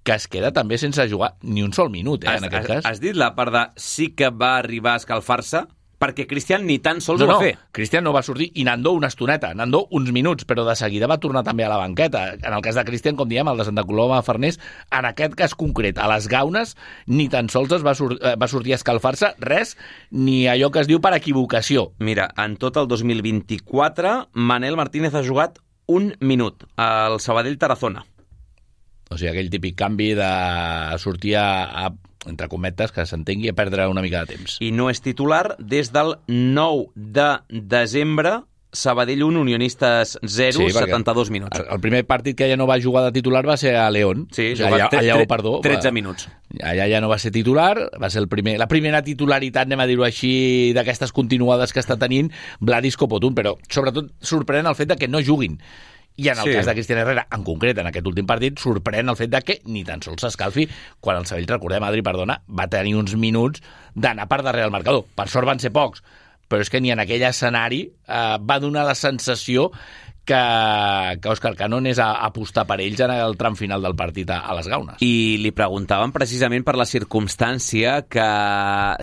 que es queda també sense jugar ni un sol minut, eh, has, en aquest has, cas. Has dit la part de sí que va arribar a escalfar-se, perquè Cristian ni tan sols no, ho va no, fer. Cristian no va sortir, i Nando una estoneta, Nando uns minuts, però de seguida va tornar també a la banqueta. En el cas de Cristian, com diem, el de Santa Coloma Farners, en aquest cas concret, a les Gaunes, ni tan sols es va, sur va sortir a escalfar-se, res, ni allò que es diu per equivocació. Mira, en tot el dos mil vint-i-quatre, Manel Martínez ha jugat un minut al Sabadell Tarazona. O sigui, aquell típic canvi de sortir a, a entre cometes, que s'entengui, a perdre una mica de temps. I no és titular des del nou de desembre Sabadell un, Unionistes zero, sí, setanta-dos minuts. El primer partit que ja no va jugar de titular va ser a León. Sí, o sigui, allà, allà, allà, perdó, tretze minuts. Allà ja no va ser titular, va ser el primer, la primera titularitat, anem a dir-ho així, d'aquestes continuades que està tenint Vladis Copotún, però sobretot sorprèn el fet de que no juguin. I en el sí. cas de Cristian Herrera, en concret, en aquest últim partit, sorprèn el fet de que ni tan sols s'escalfi quan el Sabadell, recordem, Adri, perdona, va tenir uns minuts d'anar per darrere del marcador. Per sort van ser pocs, però és que ni en aquell escenari eh, va donar la sensació que, que Òscar Cano anés a apostar per ells en el tram final del partit a, a les Gaunes. I li preguntaven precisament per la circumstància que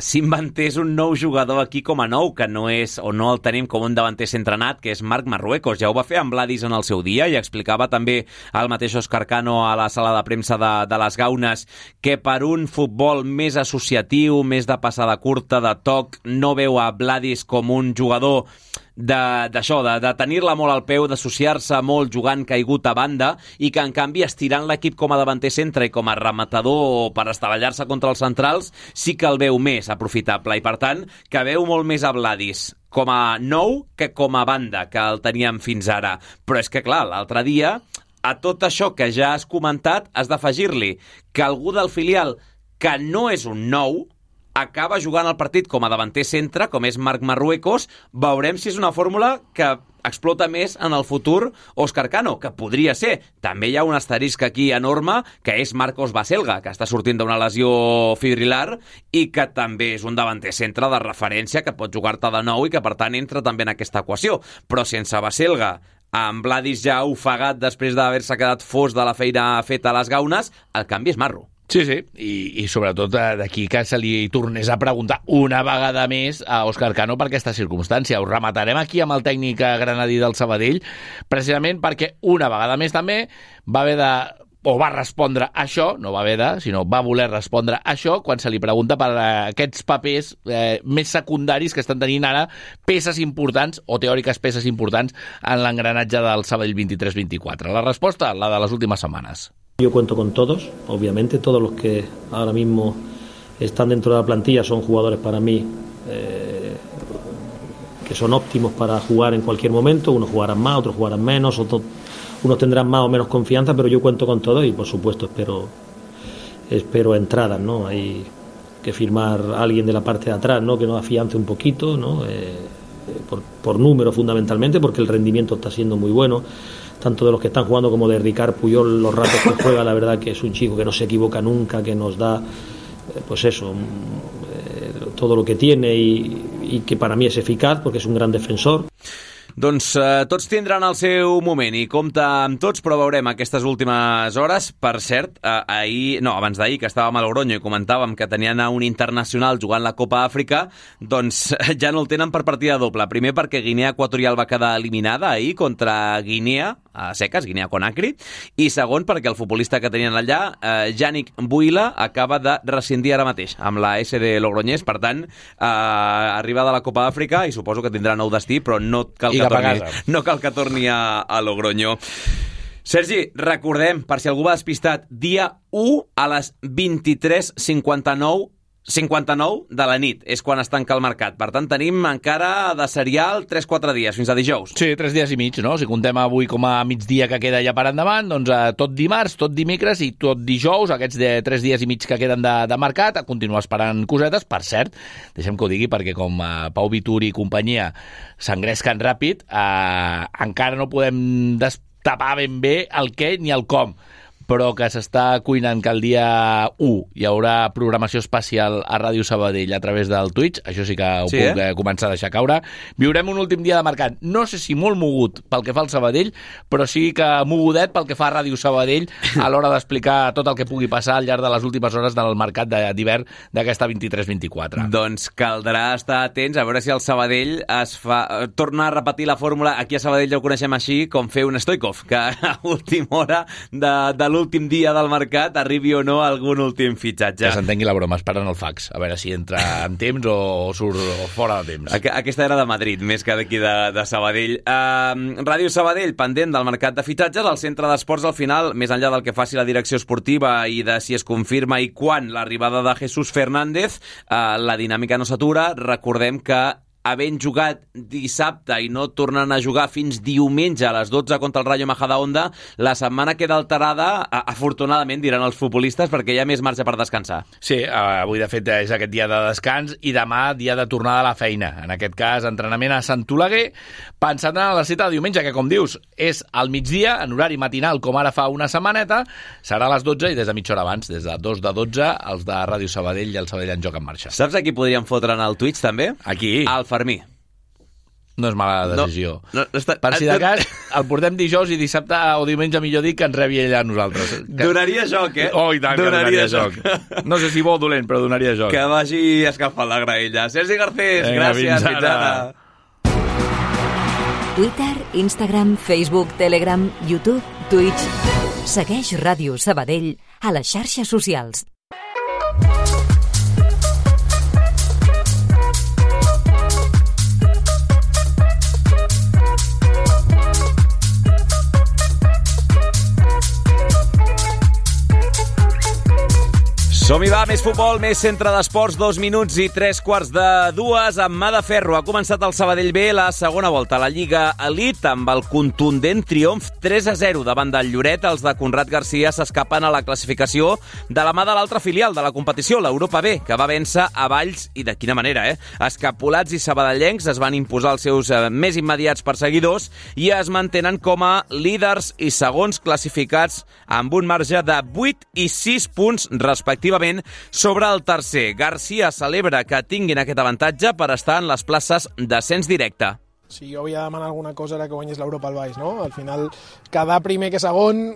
s'inventés un nou jugador aquí com a nou, que no és o no el tenim com un davanter entrenat, que és Marc Marruecos. Ja ho va fer amb Vladis en el seu dia i explicava també el mateix Òscar Cano a la sala de premsa de, de les Gaunes que per un futbol més associatiu, més de passada curta, de toc, no veu a Vladis com un jugador d'això, de, de, de tenir-la molt al peu, d'associar-se molt jugant caigut a banda i que en canvi estirant l'equip com a davanter centre i com a rematador per estavellar-se contra els centrals sí que el veu més aprofitable i per tant que veu molt més a Vladis com a nou que com a banda que el teníem fins ara. Però és que clar, l'altre dia a tot això que ja has comentat has d'afegir-li que algú del filial que no és un nou acaba jugant el partit com a davanter centre, com és Marc Marruecos. Veurem si és una fórmula que explota més en el futur Òscar Cano, que podria ser. També hi ha un asterisc aquí enorme, que és Marcos Baselga, que està sortint d'una lesió fibrilar i que també és un davanter centre de referència que pot jugar-te de nou i que, per tant, entra també en aquesta equació. Però sense Baselga, amb Vladis ja ofegat després d'haver-se quedat fos de la feina feta a les Gaunes, el canvi és marro. Sí, sí, i, i sobretot d'aquí que se li tornés a preguntar una vegada més a Òscar Cano per aquesta circumstància. Ho rematarem aquí amb el tècnic granadí del Sabadell, precisament perquè una vegada més també va haver de o va respondre això, no va haver de, sinó va voler respondre això quan se li pregunta per aquests papers eh, més secundaris que estan tenint ara peces importants o teòriques peces importants en l'engranatge del Sabadell vint-i-tres vint-i-quatre. La resposta, la de les últimes setmanes. Yo cuento con todos, obviamente todos los que ahora mismo están dentro de la plantilla son jugadores para mí eh, que son óptimos para jugar en cualquier momento. Unos jugarán más, otros jugarán menos, otros, unos tendrán más o menos confianza, pero yo cuento con todos y por supuesto espero espero entradas, ¿no? Hay que firmar a alguien de la parte de atrás, ¿no? Que nos afiance un poquito, ¿no? Eh, por, por número fundamentalmente, porque el rendimiento está siendo muy bueno, tanto de los que están jugando como de Ricard Puyol, los ratos que juega, la verdad que es un chico que no se equivoca nunca, que nos da, eh, pues eso, eh, todo lo que tiene y, y que para mí es eficaz, porque es un gran defensor. Doncs eh, tots tindran el seu moment i compta amb tots, però veurem aquestes últimes hores. Per cert, eh, ahir, no, abans d'ahir, que estàvem a Logroño i comentàvem que tenien un internacional jugant la Copa Àfrica, doncs ja no el tenen per partida doble. Primer perquè Guinea Equatorial va quedar eliminada ahir contra Guinea, a seques, Guinea Conakry, i segon perquè el futbolista que tenien allà, eh, Yannick Buila, acaba de rescindir ara mateix amb la S D Logroñés. Per tant, eh, arriba de la Copa Àfrica i suposo que tindrà nou destí, però no cal que torni, no cal que torni a, a Logroño. Sergi, recordem, per si algú va despistat, dia u a les vint-i-tres cinquanta-nou cinquanta-nou de la nit és quan es tanca el mercat. Per tant, tenim encara de serial tres quatre dies, fins a dijous. Sí, tres dies i mig, no? Si contem avui com a migdia que queda ja per endavant, doncs eh, tot dimarts, tot dimecres i tot dijous, aquests de tres dies i mig que queden de, de mercat, a continuar esperant cosetes. Per cert, deixem que ho digui, perquè com eh, Pau Vituri i companyia s'engresquen ràpid, eh, encara no podem destapar ben bé el què ni el com, però que s'està cuinant que el dia u hi haurà programació especial a Ràdio Sabadell a través del Twitch. Això sí que ho sí, puc eh? començar a deixar caure. Viurem un últim dia de mercat, no sé si molt mogut pel que fa al Sabadell, però sí que mogudet pel que fa a Ràdio Sabadell a l'hora d'explicar tot el que pugui passar al llarg de les últimes hores del mercat d'hivern d'aquesta vint-i-tres vint-i-quatre. Doncs caldrà estar atents a veure si el Sabadell es fa... torna a repetir la fórmula. Aquí a Sabadell ja ho coneixem així, com fer un Stoikov, que a última hora de, de l'últim dia del mercat arribi o no algun últim fitxatge. Que s'entengui la broma, esperant el fax, a veure si entra en temps o surt fora de temps. Aquesta era de Madrid, més que d'aquí de, de Sabadell. Uh, Ràdio Sabadell, pendent del mercat de fitxatges, al centre d'esports al final, més enllà del que faci la direcció esportiva i de si es confirma i quan l'arribada de Jesús Fernández, uh, la dinàmica no s'atura. Recordem que havent jugat dissabte i no tornant a jugar fins diumenge a les dotze contra el Rayo Majadahonda, la setmana queda alterada, afortunadament, diran els futbolistes, perquè hi ha més marge per descansar. Sí, avui de fet és aquest dia de descans i demà dia de tornada a la feina. En aquest cas, entrenament a Sant Oleguer, pensant en la cita de diumenge, que com dius, és al migdia, en horari matinal, com ara fa una setmaneta, serà a les dotze i des de mitja hora abans, des de dos de dotze, els de Ràdio Sabadell i el Sabadell en Joc en Marxa. Saps a qui podríem fotre en el Twitch, també? Aquí. Al Fermí. No és mala decisió. No, no, està... Per si de cas, el portem dijous i dissabte o diumenge, millor dir, que ens rebi ella a nosaltres. Que... Donaria joc, eh? Oh, i tant, donaria, donaria joc. joc. No sé si bo o dolent, però donaria joc. Que vagi escalfant la graella. Sergi Garcés, Venga, gràcies. Fins ara. Twitter, Instagram, Facebook, Telegram, YouTube, Twitch. Segueix Ràdio Sabadell a les xarxes socials. Som-hi, va, més futbol, més centre d'esports, dos minuts i tres quarts de dues, amb mà de ferro. Ha començat el Sabadell B la segona volta a la Lliga Elite amb el contundent triomf tres a zero davant del Lloret. Els de Conrad Garcia s'escapen a la classificació de la mà de l'altra filial de la competició, l'Europa B, que va vèncer a Valls, i de quina manera, eh? Escapolats i sabadellencs es van imposar els seus eh, més immediats perseguidors i es mantenen com a líders i segons classificats amb un marge de vuit i sis punts respectivament sobre el tercer. Garcia celebra que tinguin aquest avantatge per estar en les places d'ascens directe. Si jo havia de demanar alguna cosa era que guanyés l'Europa al baix, no? Al final, cada primer que segon,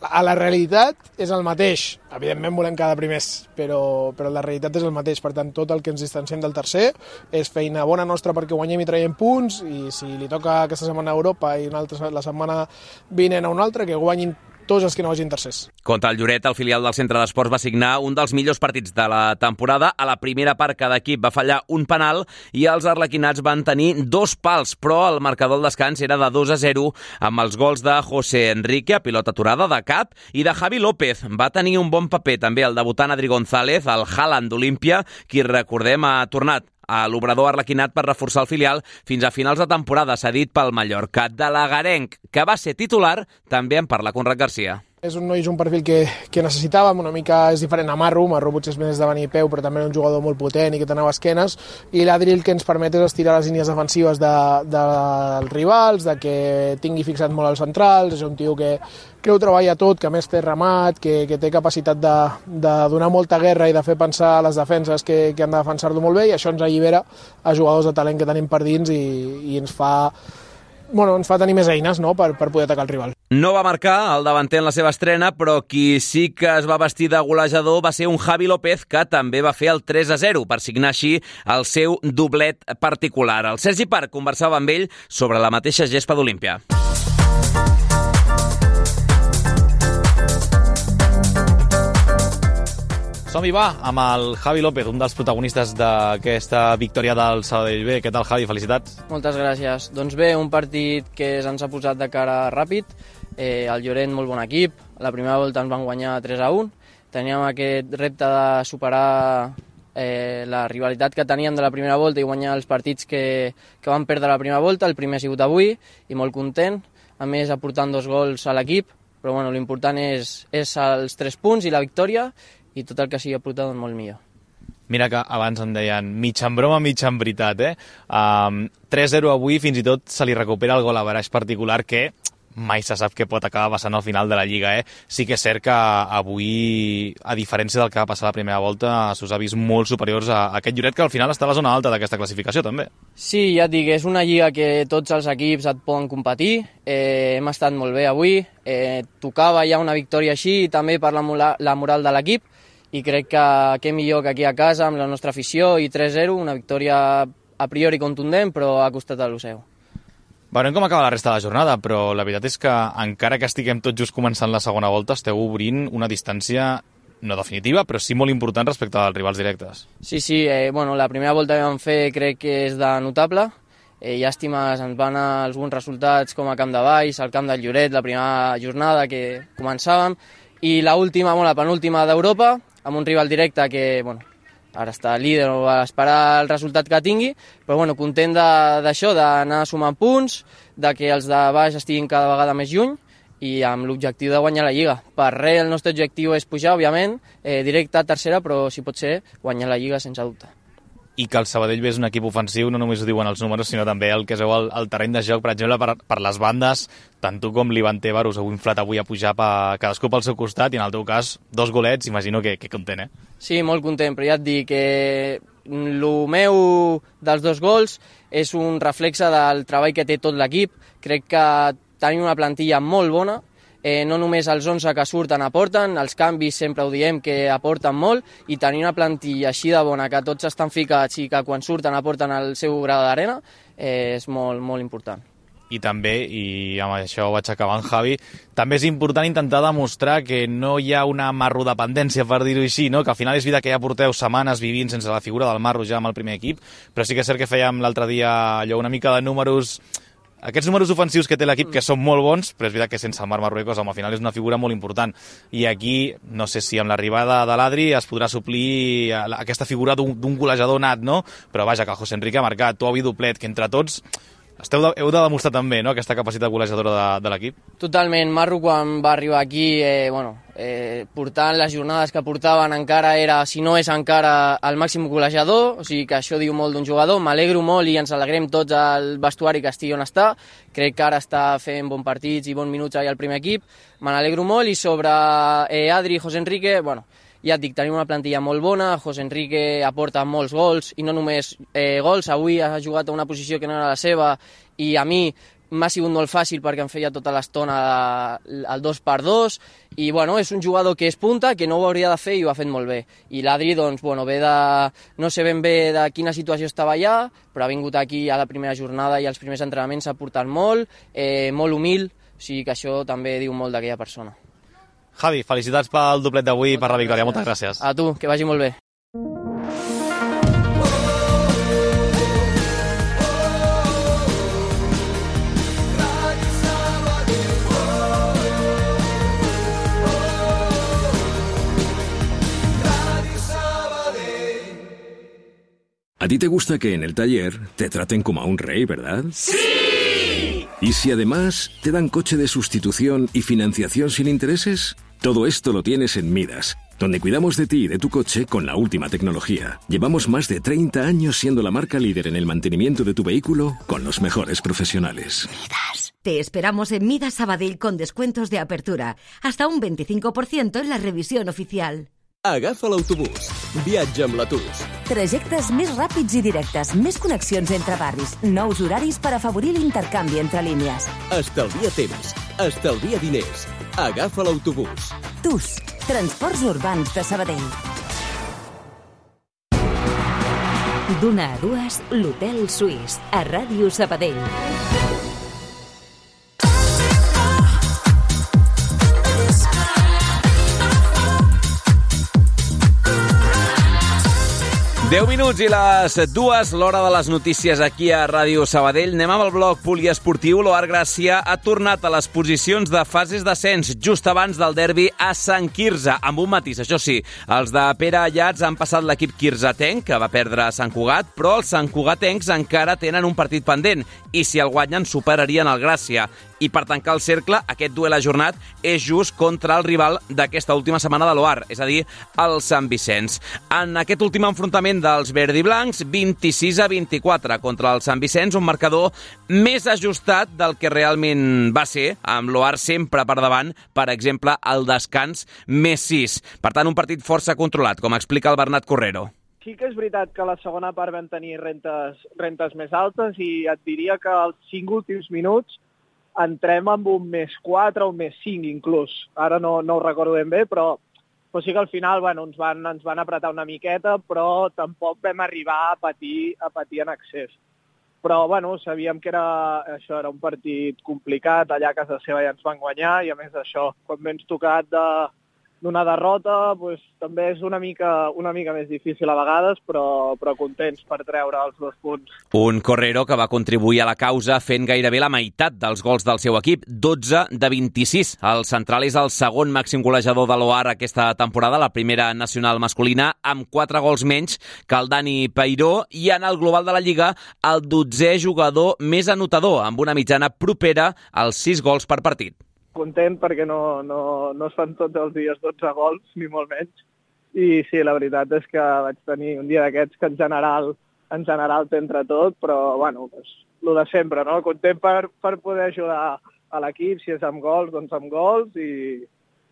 a la realitat és el mateix. Evidentment volem cada primers, però, però la realitat és el mateix. Per tant, tot el que ens distanciem del tercer és feina bona nostra perquè guanyem i traiem punts, i si li toca aquesta setmana a Europa i una altra, la setmana vinent a una altra, que guanyin tots els que no vagin tercers. Contra el Lloret, el filial del Centre d'Esports va signar un dels millors partits de la temporada. A la primera part, cada equip va fallar un penal i els arlequinats van tenir dos pals, però el marcador al descans era de dos a zero amb els gols de José Enrique, a pilota aturada de cap, i de Javi López. Va tenir un bon paper també el debutant Adri González, el Haaland d'Olímpia, qui, recordem, ha tornat a l'obrador arlequinat per reforçar el filial fins a finals de temporada, cedit pel Mallorca. De l'Agarenc, que va ser titular, també en parla Conrad Garcia. És un noi, és un perfil que, que necessitàvem, una mica és diferent a Marro, Marro potser és més de venir a peu, però també era un jugador molt potent i que tenia esquenes, i l'Adri el que ens permet és estirar les línies defensives de, de, dels rivals, de que tingui fixat molt els centrals, és un tio que, que ho treballa tot, que a més té remat, que, que té capacitat de, de donar molta guerra i de fer pensar a les defenses que, que han de defensar-lo molt bé, i això ens allibera a jugadors de talent que tenim per dins i, i ens fa... Bueno, ens fa tenir més eines, no?, per, per poder atacar el rival. No va marcar el davanter en la seva estrena, però qui sí que es va vestir de golejador va ser un Javi López, que també va fer el tres a zero per signar així el seu doblet particular. El Sergi Parc conversava amb ell sobre la mateixa gespa d'Olímpia. Som-hi, va, amb el Javi López, un dels protagonistes d'aquesta victòria del Sabadell B. Què tal, Javi? Felicitats. Moltes gràcies. Doncs bé, un partit que ens ha posat de cara ràpid. Eh, el Lloret, molt bon equip. La primera volta ens van guanyar tres a un. Teníem aquest repte de superar eh, la rivalitat que teníem de la primera volta i guanyar els partits que, que vam perdre la primera volta. El primer ha sigut avui i molt content. A més, aportant dos gols a l'equip. Però bueno, l'important és, és els tres punts i la victòria, i tot el que sigui aportat, doncs molt millor. Mira que abans em deien mig en broma, mig en veritat, eh? Um, tres a zero avui, fins i tot se li recupera el gol a baraix particular, que mai se sap què pot acabar passant al final de la Lliga, eh? Sí que és cert que avui, a diferència del que va passar la primera volta, s'us ha vist molt superiors a aquest Lloret, que al final està a la zona alta d'aquesta classificació, també. Sí, ja et dic, és una Lliga que tots els equips et poden competir. Eh, hem estat molt bé avui. Eh, tocava ja una victòria així, i també per la, la moral de l'equip, i crec que què millor que aquí a casa amb la nostra afició, i tres a zero, una victòria a priori contundent, però ha costat a l'U S E U. Veurem com acaba la resta de la jornada, però la veritat és que encara que estiguem tots just començant la segona volta, esteu obrint una distància no definitiva, però sí molt important respecte als rivals directes. Sí, sí, eh, bueno, la primera volta que vam fer crec que és de notable. Eh, llàstimes, ens van anar alguns resultats com a Camp de Valls, al Camp del Lloret, la primera jornada que començàvem, i l'última, bueno, la penúltima d'Europa, amb un rival directe que, bueno, ara està líder o a esperar el resultat que tingui, però bueno, content d'això, d'anar sumant punts, de que els de baix estiguin cada vegada més lluny i amb l'objectiu de guanyar la Lliga. Per res el nostre objectiu és pujar, òbviament, eh, directe a tercera, però si pot ser guanyar la Lliga sense dubte. I que el Sabadell ve és un equip ofensiu, no només ho diuen els números, sinó també el que es veu al, al terreny de joc, per exemple, per, per les bandes, tant tu com l'Ivan Tebar us heu inflat avui a pujar per cadascú pel seu costat, i en el teu cas, dos golets, imagino que, que content, eh? Sí, molt content, però ja et dic que el meu dels dos gols és un reflexe del treball que té tot l'equip. Crec que tenim una plantilla molt bona, Eh, no només els onze que surten aporten, els canvis sempre ho diem que aporten molt, i tenir una plantilla així de bona, que tots estan ficats i que quan surten aporten el seu grau d'arena, eh, és molt, molt important. I també, i amb això vaig acabant, Javi, també és important intentar demostrar que no hi ha una marrodependència, per dir-ho així, no? Que al final és veritat que ja porteu setmanes vivint sense la figura del Marro ja amb el primer equip, però sí que és cert que fèiem l'altre dia allò una mica de números. Aquests números ofensius que té l'equip, que són molt bons, però és veritat que sense el Marc Marruecos, al final és una figura molt important. I aquí, no sé si amb l'arribada de l'Adri es podrà suplir aquesta figura d'un golejador nat, no? Però vaja, que el José Enrique ha marcat, tu, Ovi, doplet, que entre tots esteu de, heu de demostrar també, no?, aquesta capacitat golejadora de, de l'equip. Totalment. Marro, quan va arribar aquí, eh, bueno, eh, portant les jornades que portaven, encara era, si no és encara, el màxim golejador, o sigui que això diu molt d'un jugador. M'alegro molt i ens alegrem tots al vestuari que estigui on està. Crec que ara està fent bons partits i bons minuts ahir al primer equip. Me n'alegro molt, i sobre eh, Adri i José Enrique, bueno, ja et dic, tenim una plantilla molt bona, José Enrique aporta molts gols, i no només eh, gols, avui ha jugat a una posició que no era la seva, i a mi m'ha sigut molt fàcil perquè em feia tota l'estona el dos per dos, i bueno, és un jugador que és punta, que no ho hauria de fer i ho ha fet molt bé. I l'Adri, doncs, bueno, ve de... no sé ben bé de quina situació estava allà, però ha vingut aquí a la primera jornada i als primers entrenaments s'ha portat molt, eh, molt humil, o sigui que això també diu molt d'aquella persona. Javi, felicitats pel doblet d'avui i per la victòria. Moltes gràcies. A tu, que vagi molt bé. A ti te gusta que en el taller te traten como a un rey, ¿verdad? ¡Sí! ¿Y si además te dan coche de sustitución y financiación sin intereses? Todo esto lo tienes en Midas, donde cuidamos de ti y de tu coche con la última tecnología. Llevamos más de treinta años siendo la marca líder en el mantenimiento de tu vehículo con los mejores profesionales. Midas. Te esperamos en Midas Sabadell con descuentos de apertura, hasta un veinticinco por ciento en la revisión oficial. Agafa l'autobús. Viatja amb l'Atus. Trajectes més ràpids i directes, més connexions entre barris, nous horaris per afavorir l'intercanvi entre línies. Estalvia temps, estalvia diners. Agafa l'autobús. Tus, Transports Urbans de Sabadell. D'una a dues, l'Hotel Suís, a Ràdio Sabadell. deu minuts i les dues, l'hora de les notícies aquí a Ràdio Sabadell. Anem amb el bloc poliesportiu. L'Oar Gràcia ha tornat a les posicions de fases d'ascens just abans del derbi a Sant Quirze, amb un matís. Això sí, els de Pere Allats han passat l'equip quirzetenc, que va perdre a Sant Cugat, però els santcugatencs encara tenen un partit pendent, i si el guanyen superarien el Gràcia. I per tancar el cercle, aquest duel ajornat és just contra el rival d'aquesta última setmana de l'Oar, és a dir, el Sant Vicenç. En aquest últim enfrontament dels verdiblancs, vint-i-sis a vint-i-quatre contra el Sant Vicenç, un marcador més ajustat del que realment va ser, amb l'Oar sempre per davant, per exemple, al descans més sis. Per tant, un partit força controlat, com explica el Bernat Correro. Sí que és veritat que a la segona part vam tenir rentes, rentes més altes, i et diria que els cinc últims minuts entrem amb un més quatre o un més cinc inclús. Ara no, no ho recordo ben bé, però, però sí que al final bueno, ens, van, ens van apretar una miqueta, però tampoc vam arribar a patir, a patir en excés. Però bueno, sabíem que era, això era un partit complicat, allà a casa seva ja ens van guanyar, i a més això, quan m'he tocat de, d'una derrota, pues, també és una mica, una mica més difícil a vegades, però, però contents per treure els dos punts. Un Correro que va contribuir a la causa fent gairebé la meitat dels gols del seu equip, dotze de vint-i-sis. El central és el segon màxim golejador de l'O A R aquesta temporada, la primera nacional masculina, amb quatre gols menys que el Dani Peiró, i en el global de la Lliga el dotzè jugador més anotador, amb una mitjana propera als sis gols per partit. Content perquè no, no, no es fan tots els dies dotze gols, ni molt menys. I sí, la veritat és que vaig tenir un dia d'aquests que en general, en general t'entra tot, però bueno, pues, el de sempre, no? Content per, per poder ajudar a l'equip, si és amb gols, doncs amb gols, i,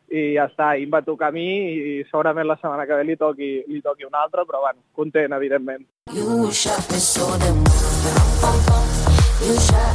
i ja està, i em va tocar a mi, i segurament la setmana que ve li toqui, li toqui un altre, però bueno, content, evidentment.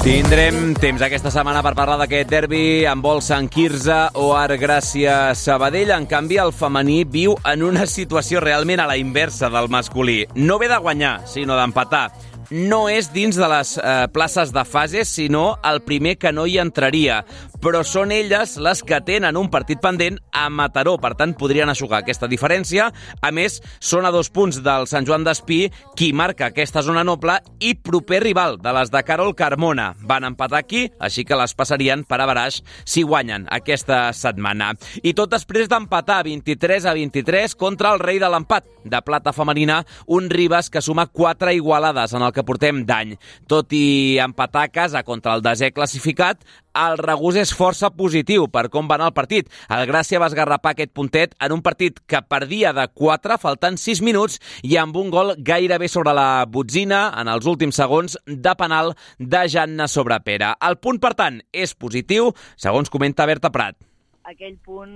Tindrem temps aquesta setmana per parlar d'aquest derbi amb vol Sant Quirze o A R Gràcia Sabadell. En canvi, el femení viu en una situació realment a la inversa del masculí. No ve de guanyar, sinó d'empatar. No és dins de les eh, places de fases, sinó el primer que no hi entraria. Però són elles les que tenen un partit pendent a Mataró, per tant podrien aixugar aquesta diferència. A més, són a dos punts del Sant Joan d'Espí, qui marca aquesta zona noble i proper rival de les de Carol Carmona. Van empatar aquí, així que les passarien per a baraix si guanyen aquesta setmana. I tot després d'empatar vint-i-tres a vint-i-tres contra el rei de l'empat de plata femenina, un Ribes que suma quatre igualades en el que portem d'any. Tot i empatar a casa contra el desè classificat, el regús és força positiu per com va anar el partit. El Gràcia va esgarrapar aquest puntet en un partit que perdia de quatre, faltant sis minuts, i amb un gol gairebé sobre la botzina en els últims segons de penal de Janna sobre Pere. El punt, per tant, és positiu, segons comenta Berta Prat. Aquell punt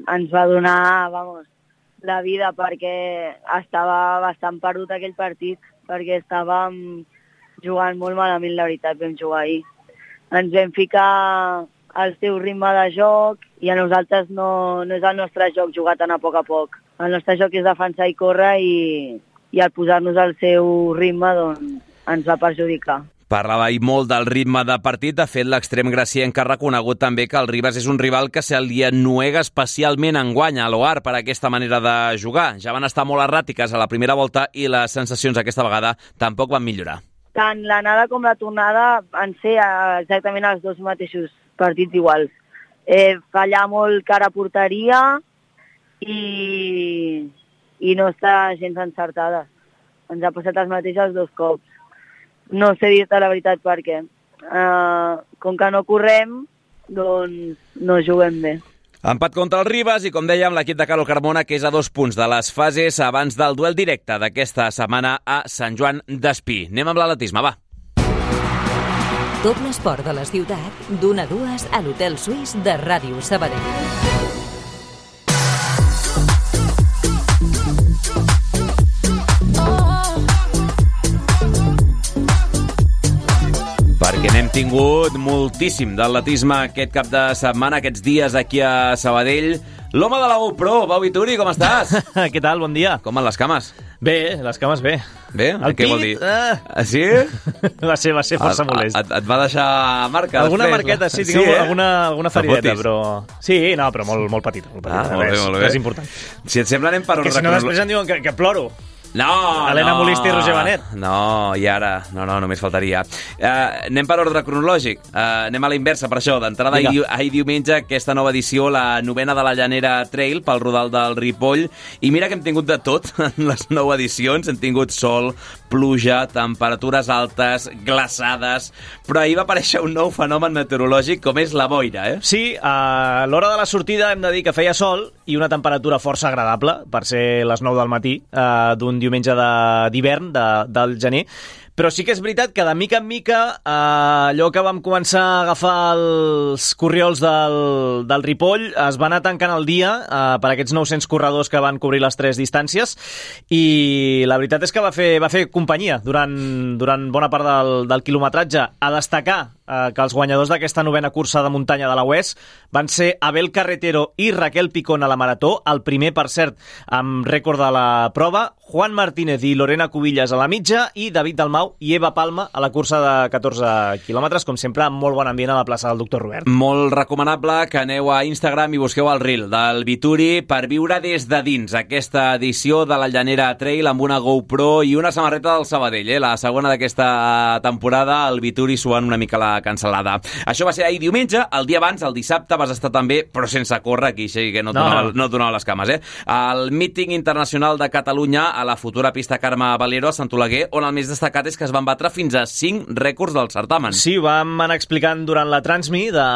ens va donar, vamos, la vida, perquè estava bastant perdut aquell partit, perquè estàvem jugant molt malament, la veritat, vam jugar ahir. Ens vam ficar al seu ritme de joc i a nosaltres no, no és el nostre joc jugar tan a poc a poc. El nostre joc és defensar i córrer, i, i al posar-nos al seu ritme doncs, ens va perjudicar. Parlava ahir molt del ritme de partit. De fet, l'extrem gracienc ha reconegut també que el Ribes és un rival que se li ennuega especialment enguany a l'O A R per aquesta manera de jugar. Ja van estar molt erràtiques a la primera volta i les sensacions aquesta vegada tampoc van millorar. Tant l'anada com la tornada van ser exactament els dos mateixos partits iguals. Eh, fallar molt cara a porteria i, i no està gens encertada. Ens ha passat els mateixos dos cops. No sé dir-te la veritat per què. Uh, com que no correm, doncs no juguem bé. Empat contra el Ribes i, com dèiem, l'equip de Carol Carmona, que és a dos punts de les fases abans del duel directe d'aquesta setmana a Sant Joan d'Espí. Anem amb l'atletisme, va. Tot l'esport de la ciutat, d'una a dues a l'Hotel Suís de Ràdio Sabadell. Perquè n'hem tingut moltíssim d'atletisme aquest cap de setmana, aquests dies aquí a Sabadell. L'home de la GoPro, Pau Vituri, com estàs? Què tal? Bon dia. Com van les cames? Bé, les cames bé. Bé? El Què pit, vol dir? Ah. Sí? Va ser, va ser força et, molest. Et, et va deixar marca alguna després? Marqueta, sí, tinc sí, eh? alguna, alguna ferideta, però... Sí, no, però molt, molt petita. Molt petita. Ah, molt bé, molt bé. És important. Si et sembla, anem per ordre Que si no després em diuen que, que ploro. No, Helena no. Molist i Roger Benet. No, i ara, no, no, només faltaria. Uh, anem per ordre cronològic. Uh, anem a la inversa, per això. D'entrada, ahir, ahir diumenge, aquesta nova edició, la novena de la Llanera Trail, pel Rodal del Ripoll. I mira que hem tingut de tot en les nou edicions. Hem tingut sol, pluja, temperatures altes, glaçades... Però ahir va aparèixer un nou fenomen meteorològic, com és la boira, eh? Sí, a l'hora de la sortida hem de dir que feia sol i una temperatura força agradable, per ser les nou del matí, eh, d'un diumenge d'hivern, de, del gener. Però sí que és veritat que de mica en mica eh, allò que vam començar a agafar els corriols del, del Ripoll es va anar tancant el dia eh, per aquests nou-cents corredors que van cobrir les tres distàncies, i la veritat és que va fer, va fer companyia durant, durant bona part del, del quilometratge. A destacar eh, que els guanyadors d'aquesta novena cursa de muntanya de la U E S van ser Abel Carretero i Raquel Picón a la marató, el primer, per cert, amb rècord de la prova, Juan Martínez i Lorena Cubillas a la mitja i David Dalmau Arnau i Eva Palma a la cursa de catorze quilòmetres, com sempre, amb molt bon ambient a la plaça del Doctor Robert. Molt recomanable que aneu a Instagram i busqueu el reel del Vituri per viure des de dins aquesta edició de la Llanera Trail amb una GoPro i una samarreta del Sabadell, eh? La segona d'aquesta temporada, el Vituri suant una mica la cancel·lada. Això va ser ahir diumenge, el dia abans, el dissabte, vas estar també, però sense córrer aquí, així que no et No, donava, no. no et donava les cames, eh? El míting internacional de Catalunya a la futura pista Carme Valero a Sant Oleguer, on el més destacat és que es van batre fins a cinc rècords del certamen. Sí, ho vam anar explicant durant la Transmi de,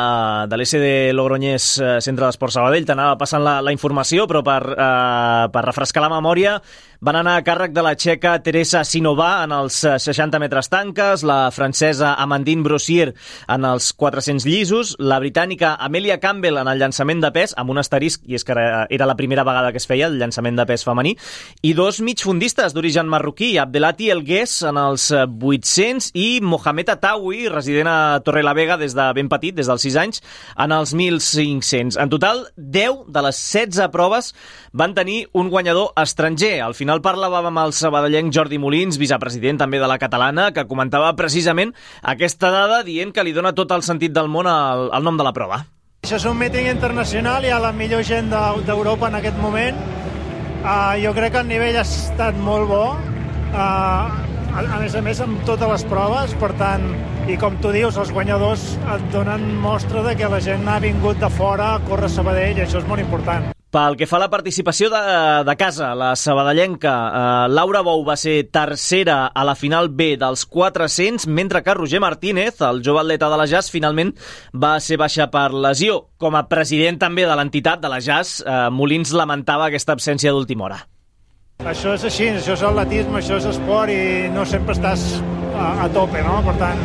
de l'S D Logroñés eh, Centre d'Esport Sabadell. T'anava passant la, la informació, però per, eh, per refrescar la memòria, van anar a càrrec de la txeca Teresa Sinová en els seixanta metres tanques, la francesa Amandine Brossier en els quatre-cents llisos, la britànica Amelia Campbell en el llançament de pes, amb un asterisc, i és que era, era la primera vegada que es feia el llançament de pes femení, i dos migfundistes d'origen marroquí, Abdelati Elgués en els vuit-cents i Mohamed Atawi, resident a Torrelavega des de ben petit, des dels sis anys, en els mil cinc-cents. En total, deu de les setze proves van tenir un guanyador estranger. Al final parlàvem amb el sabadellenc Jordi Molins, vicepresident també de la catalana, que comentava precisament aquesta dada dient que li dona tot el sentit del món al, al nom de la prova. Això és un míting internacional, hi ha la millor gent de- d'Europa en aquest moment. Uh, jo crec que el nivell ha estat molt bo, uh, a, a més a més amb totes les proves, per tant, i com tu dius, els guanyadors et donen mostra de que la gent ha vingut de fora a córrer a Sabadell, i això és molt important. Pel que fa a la participació de, de casa, la sabadellenca eh, Laura Bou va ser tercera a la final B dels quatre-cents, mentre que Roger Martínez, el jove atleta de la Jazz, finalment va ser baixa per lesió. Com a president també de l'entitat de la Jazz, eh, Molins lamentava aquesta absència d'última hora. Això és així, això és atletisme, això és esport i no sempre estàs a, a tope, no? Per tant,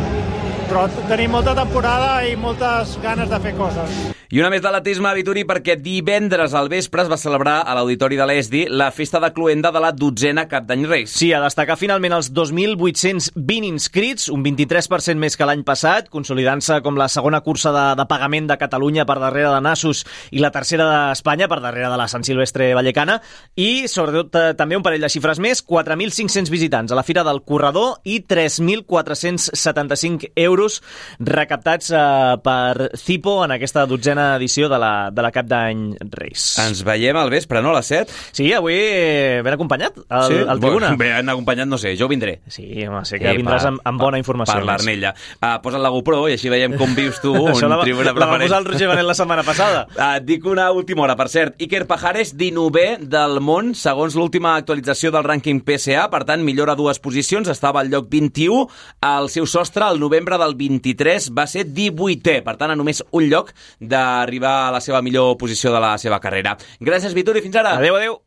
però tenim molta temporada i moltes ganes de fer coses. I una més d'atletisme a Vituri perquè divendres al vespre es va celebrar a l'Auditori de l'E S D I la festa de cloenda de la dotzena Cap d'Any Reis. Sí, a destacar finalment els dos mil vuit-cents vint inscrits, un vint-i-tres per cent més que l'any passat, consolidant-se com la segona cursa de, de pagament de Catalunya per darrere de Nassos i la tercera d'Espanya per darrere de la Sant Silvestre Vallecana, i sobretot eh, també un parell de xifres més, quatre mil cinc-cents visitants a la Fira del Corredor i tres mil quatre-cents setanta-cinc euros recaptats eh, per Cipo en aquesta dotzena edició de la, de la Cap d'Any Reis. Ens veiem al vespre, no? A les set? Sí, avui ben acompanyat al, sí? al Tribuna. Bé, ben acompanyat, no sé, jo vindré. Sí, home, sé que sí, vindràs per, amb, amb bona informació. Per l'Arnella. Uh, posa't la GoPro i així veiem com vius tu un la, Tribuna la va preferent. posar el Roger Benet la setmana passada. Uh, et dic una última hora, per cert. Iker Pajares, dinovè del món, segons l'última actualització del rànquing P S A, per tant, millora dues posicions, estava al lloc vint-i-u, el seu sostre, el novembre del vint-i-tres, va ser divuitè, per tant, a només un lloc d'arribar a la seva millor posició de la seva carrera. Gràcies, Vituri, fins ara. Adéu, adéu.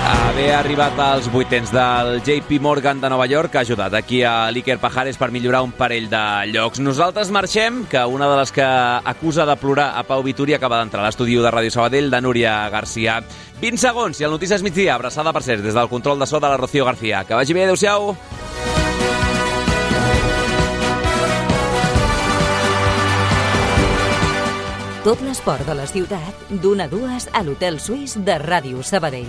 Haver arribat als vuitens del J P Morgan de Nova York ha ajudat aquí a l'Iker Pajares per millorar un parell de llocs. Nosaltres marxem, que una de les que acusa de plorar a Pau Vituri acaba d'entrar a l'estudi de Ràdio Sabadell, de Núria García. vint segons i el Notícies Migdia, abraçada per cert des del control de so de la Rocío García. Que vagi bé, adéu-siau. Tot l'esport de la ciutat, d'una a dues a l'Hotel Suís de Ràdio Sabadell.